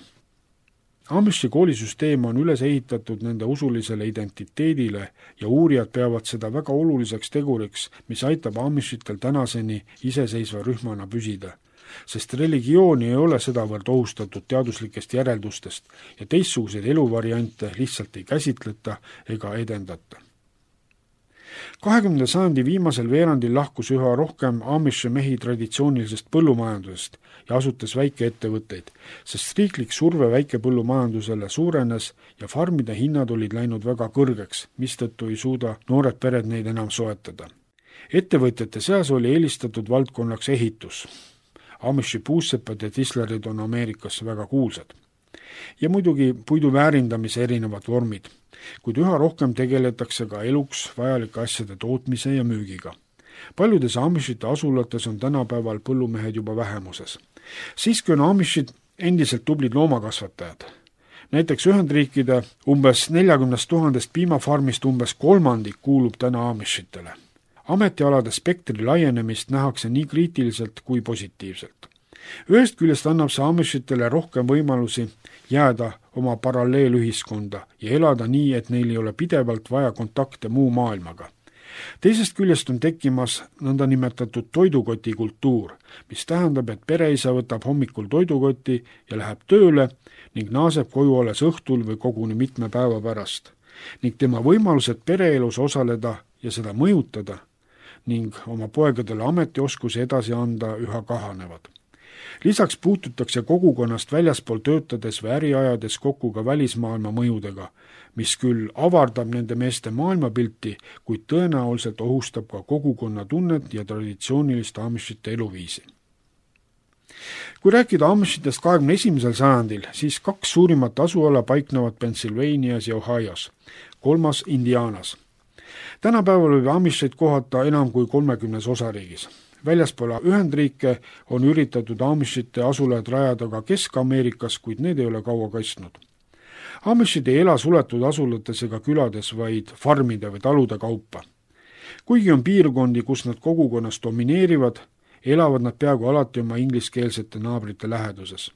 Amishi koolisüsteem on üles ehitatud nende usulisele identiteedile ja uurijad peavad seda väga oluliseks teguriks, mis aitab Amishitel tänaseni iseseisva rühmana püsida, sest religiooni ei ole sedavõrd ohustatud teaduslikest järeldustest ja teistsuguseid eluvariante lihtsalt ei käsitleta ega edendata. kahekümnenda sajandi viimasel veerandil lahkus üha rohkem Amishi mehi traditsioonilisest põllumajandusest ja asutas väikeettevõtteid, sest riiklik surve väikepõllumajandusele suurenes ja farmide hinnad olid läinud väga kõrgeks, mistõttu ei suuda noored pered neid enam soetada. Ettevõtjate seas oli eelistatud valdkonnaks ehitus. Amishi puussepad ja tislerid on Ameerikas väga kuulsad. Ja muidugi puidu väärindamise erinevad vormid, kuid üha rohkem tegeletakse ka eluks vajalike asjade tootmise ja müügiga. Paljudes Amishite asulates on tänapäeval põllumehed juba vähemuses. Siiski on Amishid endiselt tublid loomakasvatajad. Näiteks Ühendriikide umbes neljakümnest tuhandest piimafarmist umbes kolmandik kuulub täna Amishitele. Ametialade spektri laienemist nähakse nii kriitiliselt kui positiivselt. Ühest küljest annab see Amishitele rohkem võimalusi jääda oma paralleelühiskonda ja elada nii, et neil ei ole pidevalt vaja kontakte muu maailmaga. Teisest küljest on tekkimas nõnda nimetatud toidukoti kultuur, mis tähendab, et pereisa võtab hommikul toidukoti ja läheb tööle ning naaseb koju alles õhtul või koguni mitme päeva pärast. Ning tema võimalused pereelus osaleda ja seda mõjutada ning oma poegadele ametioskusi edasi anda üha kahanevad. Lisaks puututakse kogukonnast väljaspool töötades või äriajades kokku ka välismaailma mõjudega, mis küll avardab nende meeste maailmapilti, kuid tõenäoliselt ohustab ka kogukonna tunnet ja traditsioonilist Amishite eluviisi. Kui rääkida Amishitest kahekümne esimesel sajandil, siis kaks suurimat asuala paiknevad Pennsylvanias ja Ohios, kolmas Indianas. Tänapäeval võib Amishit kohata enam kui kolmekümnes osariigis. Väljaspool Ühendriike on üritatud Amishite asulad rajada ka Kesk-Ameerikas, kuid need ei ole kaua kaitsnud. Amishid ei ela suletud asulates ega külades, vaid farmide või talude kaupa. Kuigi on piirkondi, kus nad kogukonnas domineerivad, elavad nad peaaegu alati oma ingliskeelsete naabrite läheduses.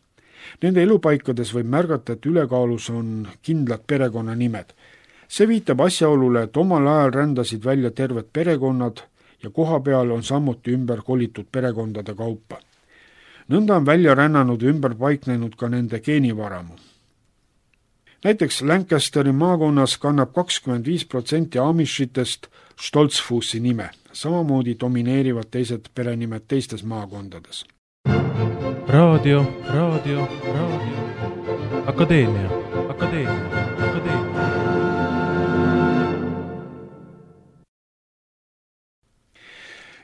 Nende elupaikades võib märgata, et ülekaalus on kindlad perekonnanimed. See viitab asjaolule, et omal ajal rändasid välja terved perekonnad ja koha peal on samuti ümber kolitud perekondade kaupa. Nõnda on välja rännanud ja ümber paiknenud ka nende geenivaramu. Näiteks Lancasteri maakonnas kannab kakskümmend viis protsenti Amishitest Stoltzfussi nime, samamoodi domineerivad teised perenimed teistes maakondades. Raadio, raadio, raadio. Akadeemia, akadeemia, akadeemia.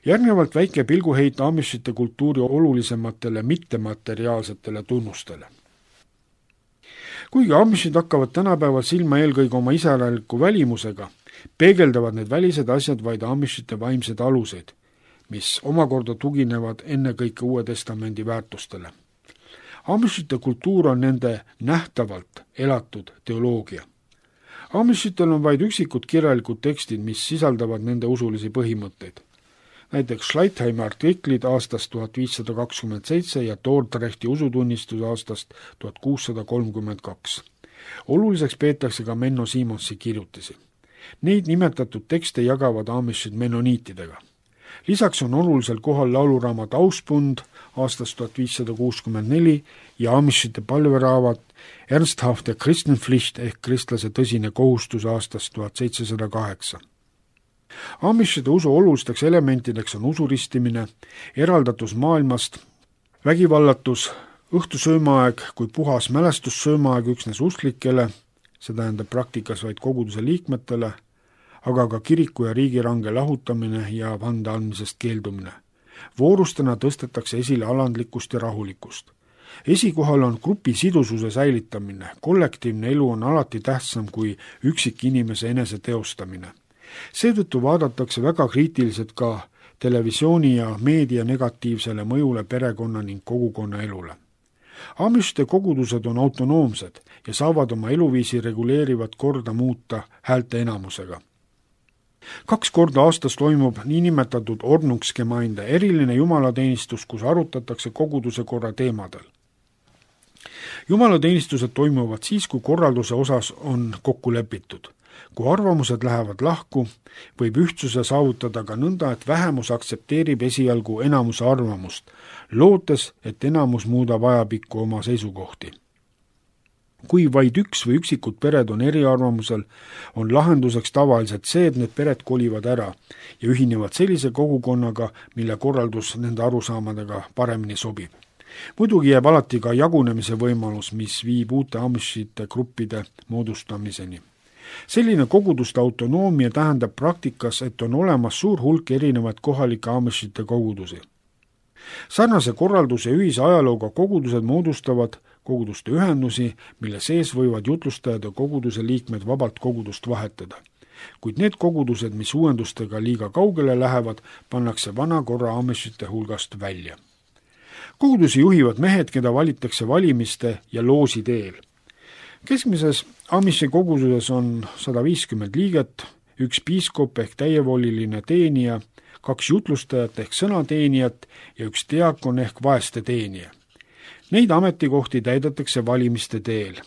Järgnevalt väike pilguheit Amishite kultuuri olulisematele mittemateriaalsetele tunnustele. Kuigi Amishid hakkavad tänapäeval silma eelkõige oma iseäraliku välimusega, peegeldavad need välised asjad vaid Amishite vaimsed aluseid, mis omakorda tuginevad ennekõike Uue Testamendi väärtustele. Amishite kultuur on nende nähtavalt elatud teoloogia. Amishitel on vaid üksikud kirjalikud tekstid, mis sisaldavad nende usulisi põhimõtteid. Näiteks Schleitheimi artiklid aastast tuhat viissada kakskümmend seitse ja Dordrechti usutunnistus aastast tuhat kuussada kolmkümmend kaks. Oluliseks peetakse ka Menno Simonsi kirjutisi. Neid nimetatud tekste jagavad Amishid menoniitidega. Lisaks on olulisel kohal lauluraamat Auspund aastast tuhat viissada kuuskümmend neli ja Amishite palveraamat Ernsthafte Christenpflicht ehk kristlase tõsine kohustus aastast tuhat seitsesada kaheksa. Amishide usu olulisteks elementideks on usuristimine, eraldatus maailmast, vägivallatus, õhtusöömaaeg kui puhas mälestussöömaaeg üksnes usklikele, see tähendab praktikas vaid koguduse liikmetele, aga ka kiriku ja riigi range lahutamine ja vande andmisest keeldumine. Voorustena tõstetakse esile alandlikkust ja rahulikkust. Esikohal on grupi sidususe säilitamine, kollektiivne elu on alati tähtsam kui üksik inimese enese teostamine. Seetõttu vaadatakse väga kriitiliselt ka televisiooni ja meedia negatiivsele mõjule perekonna ning kogukonna elule. Amishite kogudused on autonoomsed ja saavad oma eluviisi reguleerivat korda muuta häälte enamusega. Kaks korda aastas toimub niinimetatud Ordnungsgemeinde eriline jumalateenistus, kus arutatakse koguduse korra teemadel. Jumalateenistused toimuvad siis, kui korralduse osas on kokku lepitud. Kui arvamused lähevad lahku, võib ühtsuse saavutada ka nõnda, et vähemus aktsepteerib esialgu enamuse arvamust, lootes, et enamus muudab ajapikku oma seisukohti. Kui vaid üks või üksikud pered on eriarvamusel, on lahenduseks tavaliselt see, et need pered kolivad ära ja ühinevad sellise kogukonnaga, mille korraldus nende arusaamadega paremini sobib. Muidugi jääb alati ka jagunemise võimalus, mis viib uute Amishite gruppide moodustamiseni. Selline koguduste autonoomia tähendab praktikas, et on olemas suur hulk erinevaid kohalike Amishite kogudusi. Sarnase korralduse ühise ajalooga kogudused moodustavad koguduste ühendusi, mille sees võivad jutlustajad ja koguduse liikmed vabalt kogudust vahetada. Kuid need kogudused, mis uuendustega liiga kaugele lähevad, pannakse vana korra Amishite hulgast välja. Kogudusi juhivad mehed, keda valitakse valimiste ja loosi teel. Keskmises Amishi koguduses on sada viiskümmend liiget, üks piiskop ehk täievoliline teenija, kaks jutlustajat ehk sõnateenijat ja üks diakon ehk vaeste teenija. Neid ametikohti täidetakse valimiste teel.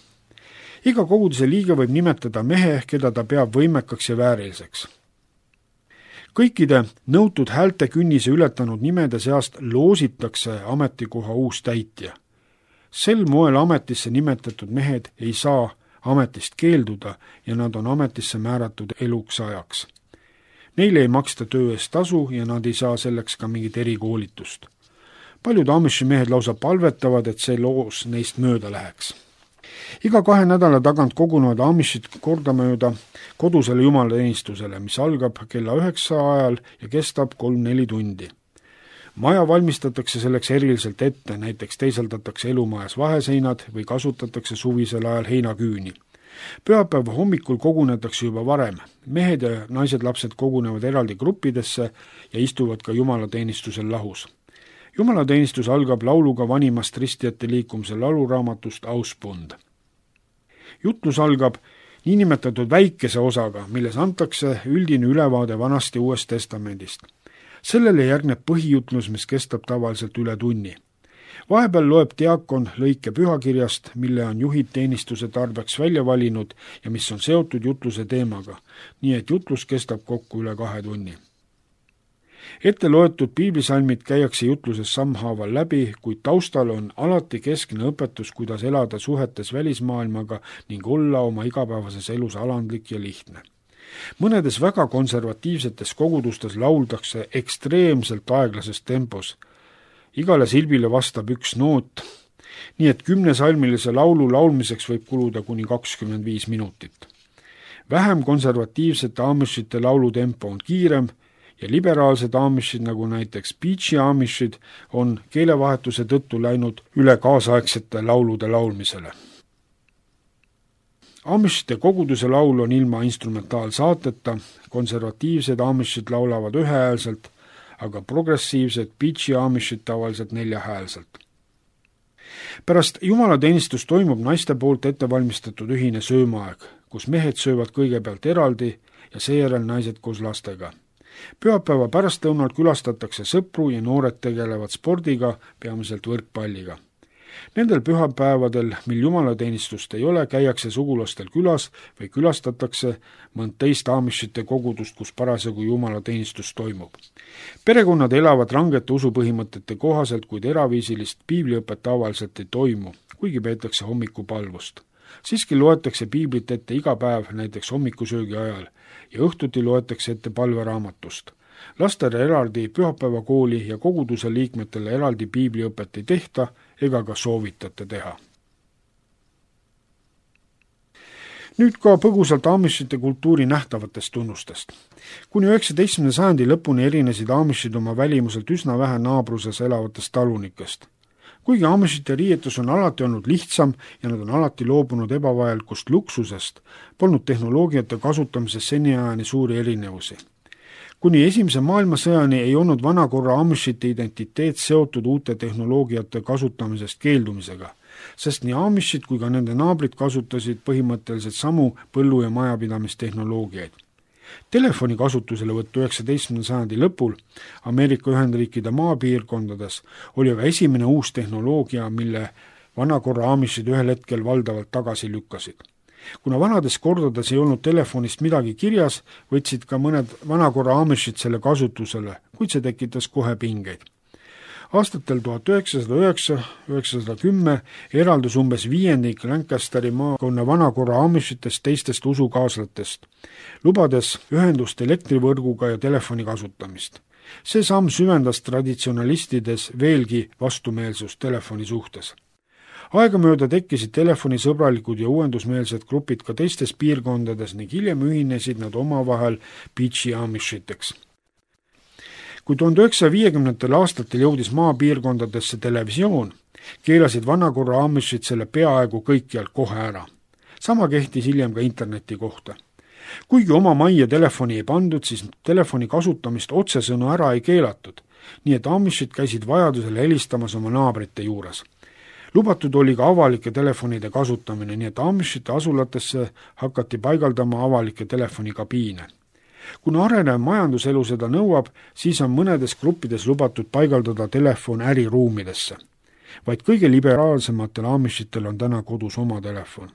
Iga koguduse liige võib nimetada mehe, keda ta peab võimekaks ja vääriliseks. Kõikide nõutud häälte künnise ületanud nimede seast loositakse ametikoha uus täitja. Sel moel ametisse nimetatud mehed ei saa ametist keelduda ja nad on ametisse määratud eluks ajaks. Neile ei maksta töö eest tasu ja nad ei saa selleks ka mingit erikoolitust. Paljud Amishi mehed lausa palvetavad, et see loos neist mööda läheks. Iga kahe nädala tagant kogunevad Amishid kordamööda kodusele jumalateenistusele, mis algab kella üheksa ajal ja kestab kolm-neli tundi. Maja valmistatakse selleks eriliselt ette, näiteks teisaldatakse elumajas vaheseinad või kasutatakse suvisel ajal heinaküüni. Pühapäeva hommikul kogunetakse juba varem. Mehed ja naised lapsed kogunevad eraldi gruppidesse ja istuvad ka jumalateenistusel lahus. Jumalateenistus algab lauluga vanimast ristijate liikumise lauluraamatust Auspund. Jutlus algab niinimetatud väikese osaga, milles antakse üldine ülevaade vanast ja uuest testamendist. Sellele järgneb põhijutlus, mis kestab tavaliselt üle tunni. Vahepeal loeb diakon lõike pühakirjast, mille on juhid teenistuse tarbeks välja valinud ja mis on seotud jutluse teemaga, nii et jutlus kestab kokku üle kahe tunni. Ette loetud piiblisalmid käiakse jutluses sammhaaval läbi, kuid taustal on alati keskne õpetus, kuidas elada suhetes välismaailmaga ning olla oma igapäevases elus alandlik ja lihtne. Mõnedes väga konservatiivsetes kogudustes lauldakse ekstreemselt aeglases tempos. Igale silbile vastab üks noot, nii et kümnesalmilise laulu laulmiseks võib kuluda kuni kakskümmend viis minutit. Vähem konservatiivsete Amishite laulutempo on kiirem ja liberaalsed Amishid, nagu näiteks Beachi Amishid, on keelevahetuse tõttu läinud üle kaasaegsete laulude laulmisele. Amishite koguduse laul on ilma instrumentaalsaateta, konservatiivsed Amishid laulavad ühehäälselt, aga progressiivsed Beachi Amishid tavaliselt neljahäälselt. Pärast jumalateenistus toimub naiste poolt ettevalmistatud ühine söömaaeg, kus mehed söövad kõigepealt eraldi ja seejärel naised koos lastega. Pühapäeva pärastlõunal külastatakse sõpru ja noored tegelevad spordiga, peamiselt võrkpalliga. Nendel pühapäevadel, mil jumalateenistust ei ole, käiakse sugulastel külas või külastatakse mõnd teist Amishite kogudust, kus parasjagu jumalateenistus toimub. Perekonnad elavad rangete usupõhimõtete kohaselt, kuid eraviisilist piibliõpet tavaliselt ei toimu, kuigi peetakse hommikupalvust. Siiski loetakse piiblit ette iga päev, näiteks hommikusöögi ajal, ja õhtuti loetakse ette palveraamatust. Lastele eraldi pühapäevakooli ja koguduse liikmetele eraldi piibliõpet ei tehta ega ka soovitate teha. Nüüd ka põgusalt Amishite kultuuri nähtavatest tunnustest. Kuni üheksateistkümnenda sajandi lõpuni erinesid Amishid oma välimuselt üsna vähe naabruses elavatest talunikest. Kuigi Amishite riietus on alati olnud lihtsam ja nad on alati loobunud ebavajalikust luksusest, polnud tehnoloogiate kasutamises seniajani suuri erinevusi. Kuni esimese maailmasõjani ei olnud vanakorra Amishite identiteet seotud uute tehnoloogiate kasutamisest keeldumisega, sest nii Amishid kui ka nende naabrid kasutasid põhimõtteliselt samu põllu- ja majapidamistehnoloogiaid. Telefoni kasutuselevõttu üheksateistkümnenda sajandi lõpul Ameerika Ühendriikide maapiirkondades oli aga esimene uus tehnoloogia, mille vanakorra Amishid ühel hetkel valdavalt tagasi lükkasid. Kuna vanades kordades ei olnud telefonist midagi kirjas, võtsid ka mõned vanakorra Amishid selle kasutusele, kuid see tekitas kohe pingeid. Aastatel tuhat üheksasada üheksa kuni üheksasada kümme eraldus umbes viiendik Lancasteri maakonna vanakorra Amishitest teistest usukaaslatest, lubades ühendust elektrivõrguga ja telefoni kasutamist. See samm süvendas traditsionalistides veelgi vastumeelsust telefoni suhtes. Aegamööda tekkisid telefonisõbralikud ja uuendusmeelsed grupid ka teistes piirkondades ning hiljem ühinesid nad omavahel Beachi Amishiteks. Kui tuhande üheksasaja viiekümnendatel aastatel jõudis maapiirkondadesse televisioon, keelasid vanakorra Amishid selle peaaegu kõikjal kohe ära. Sama kehtis hiljem ka interneti kohta. Kuigi oma majja telefoni ei pandud, siis telefoni kasutamist otsesõnu ära ei keelatud, nii et Amishid käisid vajadusel helistamas oma naabrite juures. Lubatud oli ka avalike telefonide kasutamine, nii et Amishite asulatesse hakati paigaldama avalikke telefonikabiine. Kuna arenev majanduselu seda nõuab, siis on mõnedes gruppides lubatud paigaldada telefon äriruumidesse. Vaid kõige liberaalsematel Amishitel on täna kodus oma telefon.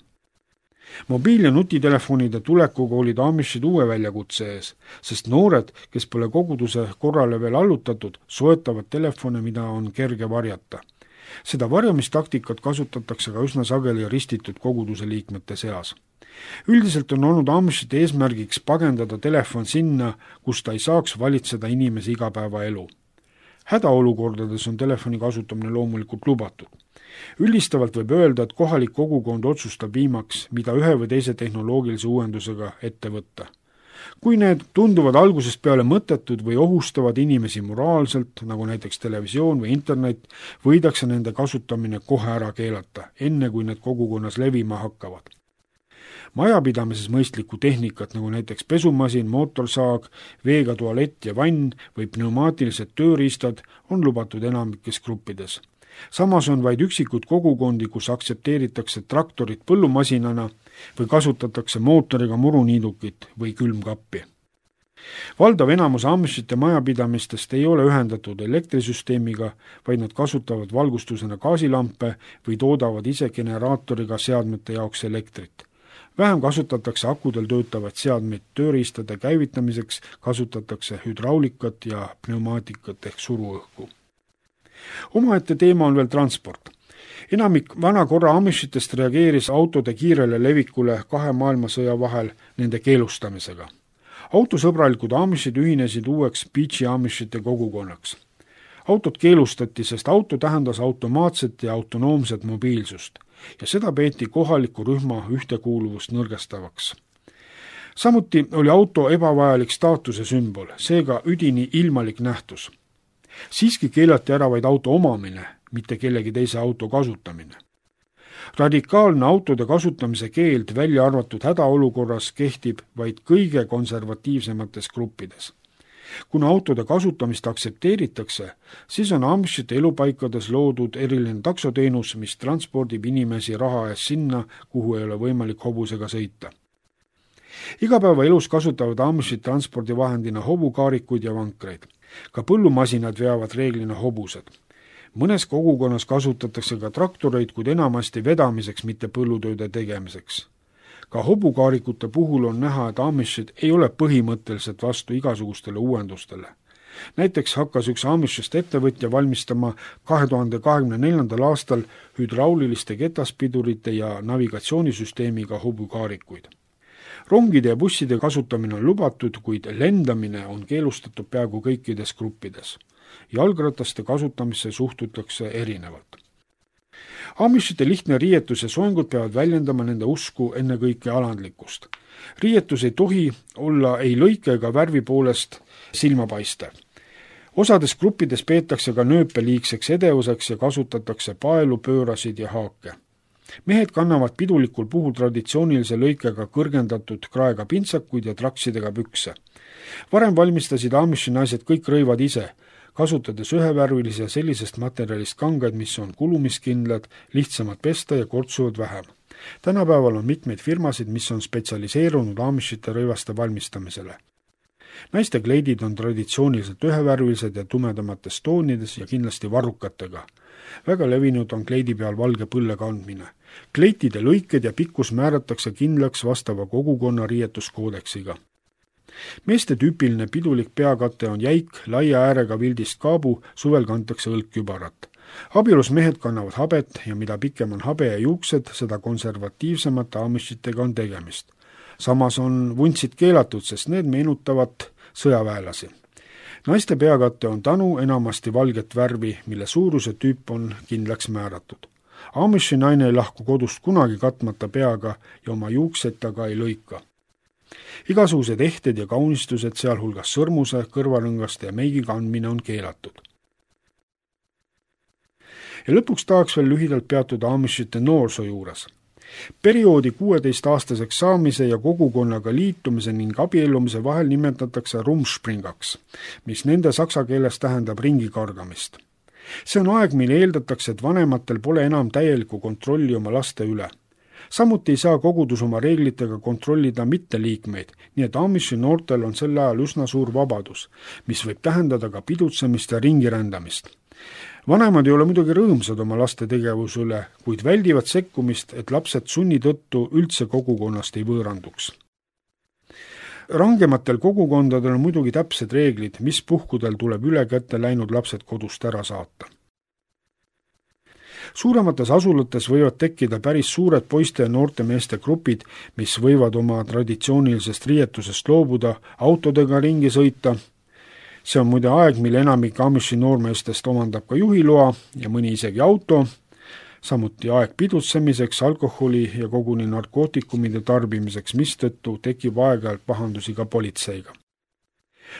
Mobiil- ja nutitelefonide tulekuga olid Amishid uue väljakutse ees, sest noored, kes pole koguduse korrale veel allutatud, soetavad telefone, mida on kerge varjata. Seda varjamistaktikat kasutatakse ka üsna sageli ristitud koguduse liikmete seas. Üldiselt on olnud Amishite eesmärgiks pagendada telefon sinna, kus ta ei saaks valitseda inimese igapäevaelu. Hädaolukordades on telefoni kasutamine loomulikult lubatud. Üldistavalt võib öelda, et kohalik kogukond otsustab viimaks, mida ühe või teise tehnoloogilise uuendusega ette võtta. Kui need tunduvad algusest peale mõttetud või ohustavad inimesi moraalselt, nagu näiteks televisioon või internet, võidakse nende kasutamine kohe ära keelata, enne kui need kogukonnas levima hakkavad. Majapidamises mõistlikku tehnikat, nagu näiteks pesumasin, mootorsaag, veega tualett ja vann või pneumaatilised tööriistad, on lubatud enamikes gruppides. Samas on vaid üksikud kogukondi, kus aktsepteeritakse traktorit põllumasinana või kasutatakse mootoriga muruniidukit või külmkappi. valdav enamus Amishite majapidamistest ei ole ühendatud elektrisüsteemiga, vaid nad kasutavad valgustusena gaasilampe või toodavad ise generaatoriga seadmete jaoks elektrit. Vähem kasutatakse akudel töötavaid seadmeid tööriistade käivitamiseks, kasutatakse hüdraulikat ja pneumaatikat ehk suruõhku. Omaette teema on veel transport. Enamik vana korra Amishitest reageeris autode kiirele levikule kahe maailmasõja vahel nende keelustamisega. Autosõbralikud Amishid ühinesid uueks Beachi Amishite kogukonnaks. Autod keelustati, sest auto tähendas automaatset ja autonoomset mobiilsust ja seda peeti kohaliku rühma ühtekuuluvust nõrgestavaks. Samuti oli auto ebavajalik staatuse sümbol, seega üdini ilmalik nähtus. Siiski keelati ära vaid auto omamine, mitte kellegi teise auto kasutamine. Radikaalne autode kasutamise keeld välja arvatud hädaolukorras kehtib vaid kõige konservatiivsemates gruppides. Kuna autode kasutamist aktsepteeritakse, siis on Amishite elupaikades loodud eriline taksoteenus, mis transpordib inimesi raha ees sinna, kuhu ei ole võimalik hobusega sõita. Igapäevaelus kasutavad Amishid transpordivahendina hobukaarikuid ja vankreid. Ka põllumasinad veavad reeglina hobused. Mõnes kogukonnas kasutatakse ka traktoreid, kuid enamasti vedamiseks, mitte põllutööde tegemiseks. Ka hobukaarikute puhul on näha, et Amishid ei ole põhimõtteliselt vastu igasugustele uuendustele. Näiteks hakkas üks Amishist ettevõtja valmistama kahe tuhande kahekümne neljandal aastal hüdrauliliste ketaspidurite ja navigatsioonisüsteemiga hobukaarikuid. Rongide ja busside kasutamine on lubatud, kuid lendamine on keelustatud peaaegu kõikides gruppides. Jalgrataste kasutamisse suhtutakse erinevalt. Amishite lihtne riietus ja soengud peavad väljendama nende usku ennekõike alandlikkust. Riietus ei tohi olla ei lõike ega värvi poolest silmapaistev. Osades gruppides peetakse ka nööpe liigseks edevuseks ja kasutatakse paelu, pöörasid ja haake. Mehed kannavad pidulikul puhul traditsioonilise lõikega kõrgendatud kraega pintsakuid ja traksidega pükse. Varem valmistasid Amishi naised kõik rõivad ise, kasutades ühevärvilise ja sellisest materjalist kangaid, mis on kulumiskindlad, lihtsamad pesta ja kortsuvad vähem. Tänapäeval on mitmeid firmasid, mis on spetsialiseerunud Amishite rõivaste valmistamisele. Naiste kleidid on traditsiooniliselt ühevärvilised ja tumedamates toonides ja kindlasti varrukatega. Väga levinud on kleidi peal valge põlle kandmine. Kleitide lõiked ja pikkus määratakse kindlaks vastava kogukonna riietuskoodeksiga. Meeste tüüpiline pidulik peakate on jäik, laia äärega vildist kaabu, suvel kantakse õlkkübarat. Abielus mehed kannavad habet ja mida pikem on habe ja juuksed, seda konservatiivsemate Amishitega on tegemist. Samas on vuntsid keelatud, sest need meenutavad sõjaväelasi. Naiste peakate on tanu enamasti valget värvi, mille suuruse tüüp on kindlaks määratud. Amishi naine ei lahku kodust kunagi katmata peaga ja oma juukseid taga ei lõika. Igasugused ehted ja kaunistused, sealhulgas sõrmuse, kõrvarõngaste ja meigi kandmine on keelatud. Ja lõpuks tahaks veel lühidalt peatuda Amishite noorsoo juures. Perioodi kuueteistaastaseks saamise ja kogukonnaga liitumise ning abiellumise vahel nimetatakse rumspringaks, mis nende saksa keeles tähendab ringi kargamist. See on aeg, mille eeldatakse, et vanematel pole enam täielikku kontrolli oma laste üle. Samuti ei saa kogudus oma reeglitega kontrollida mitteliikmeid, nii et Amishi noortel on sel ajal üsna suur vabadus, mis võib tähendada ka pidutsemist ja ringirändamist. Vanemad ei ole muidugi rõõmsad oma laste tegevuse üle, kuid väldivad sekkumist, et lapsed sunni tõttu üldse kogukonnast ei võõranduks. Rangematel kogukondadel on muidugi täpsed reeglid, mis puhkudel tuleb üle kätte läinud lapsed kodust ära saata. Suuremates asulates võivad tekkida päris suured poiste ja noorte meeste grupid, mis võivad oma traditsioonilisest riietusest loobuda, autodega ringi sõita. See on muide aeg, mille enamik Amishi noormeestest omandab ka juhiloa ja mõni isegi auto, samuti aeg pidutsemiseks, alkoholi ja koguni narkootikumide tarbimiseks, mistõttu tekib aeg-ajalt pahandusi ka politseiga.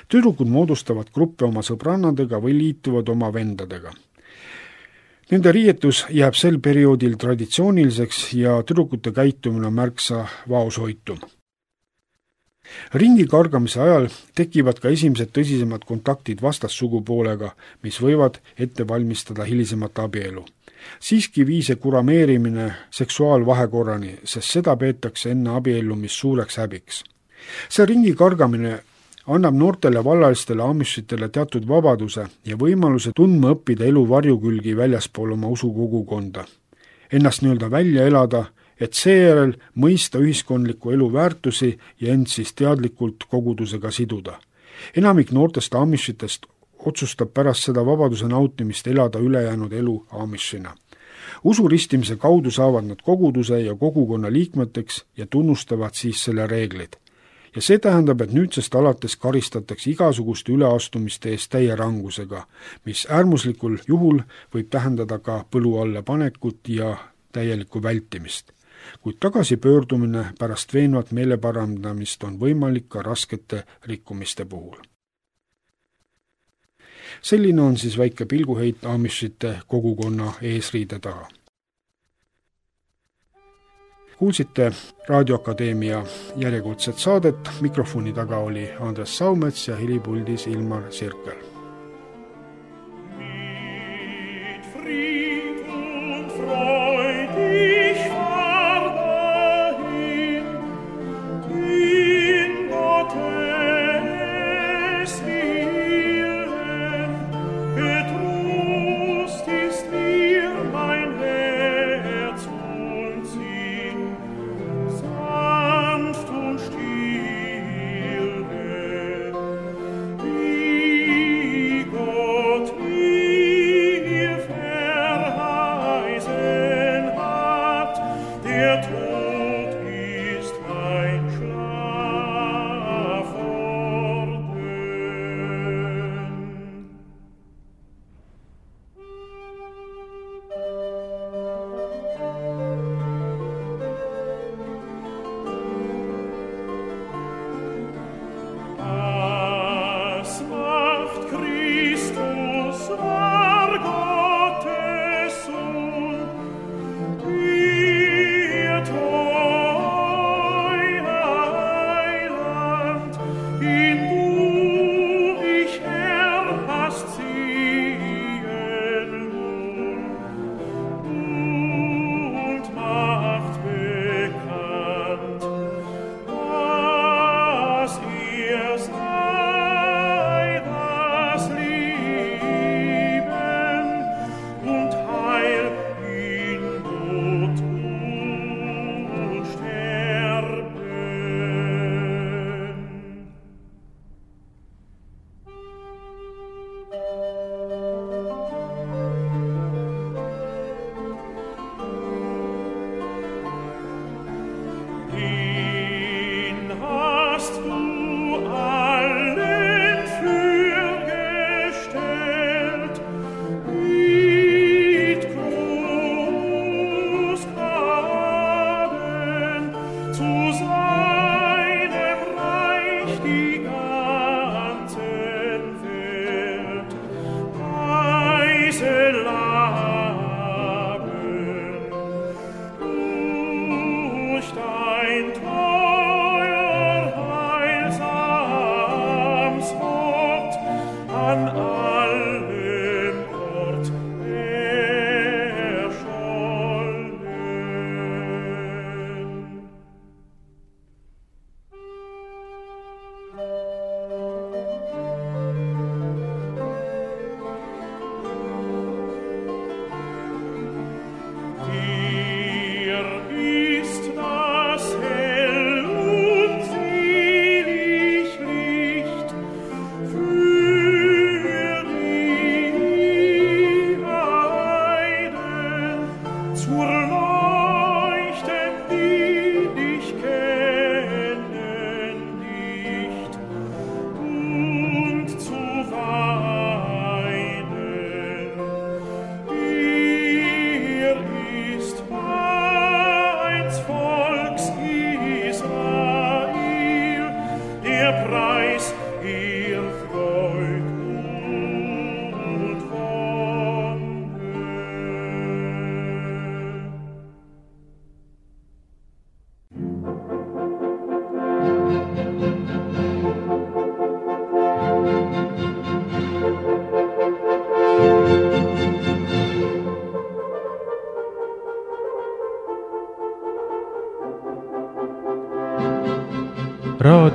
Tüdrukud moodustavad gruppe oma sõbrannadega või liituvad oma vendadega. Nende riietus jääb sel perioodil traditsiooniliseks ja tüdrukute käitumine on märksa vaoshoitum. Ringi kargamise ajal tekivad ka esimesed tõsisemad kontaktid vastassugupoolega, mis võivad ette valmistada hilisemat abielu. Siiski viis see kurameerimine seksuaalvahekorrani, sest seda peetakse enne abiellumist suureks häbiks. See ringi kargamine annab noortele vallalistele amishitele teatud vabaduse ja võimaluse tundma õppida elu varjukülgi väljaspool oma usukogukonda, ennast nii-öelda välja elada, et seejärel mõista ühiskondliku elu väärtusi ja end siis teadlikult kogudusega siduda. Enamik noortest amishitest otsustab pärast seda vabaduse nautimist elada ülejäänud elu amishina. Usu ristimise kaudu saavad nad koguduse ja kogukonna liikmeteks ja tunnustavad siis selle reeglid. Ja see tähendab, et nüüdsest alates karistatakse igasuguste üleastumiste eest täie rangusega, mis äärmuslikul juhul võib tähendada ka põlu alla panekut ja täielikku vältimist. Kuid tagasipöördumine pärast veenvat meeleparandamist on võimalik ka raskete rikkumiste puhul. Selline on siis väike pilguheit amishite kogukonna eesriide taha. Kuulsite Raadioakadeemia järjekordset saadet, mikrofoni taga oli Andres Saumets ja helipuldis Ilmar Sirkel.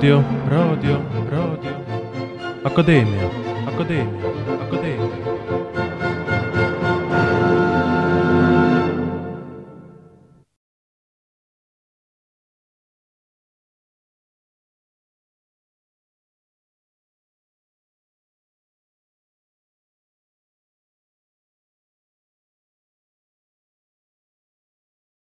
raadio, raadio, raadio Akadeemia, Akadeemia, Akadeemia.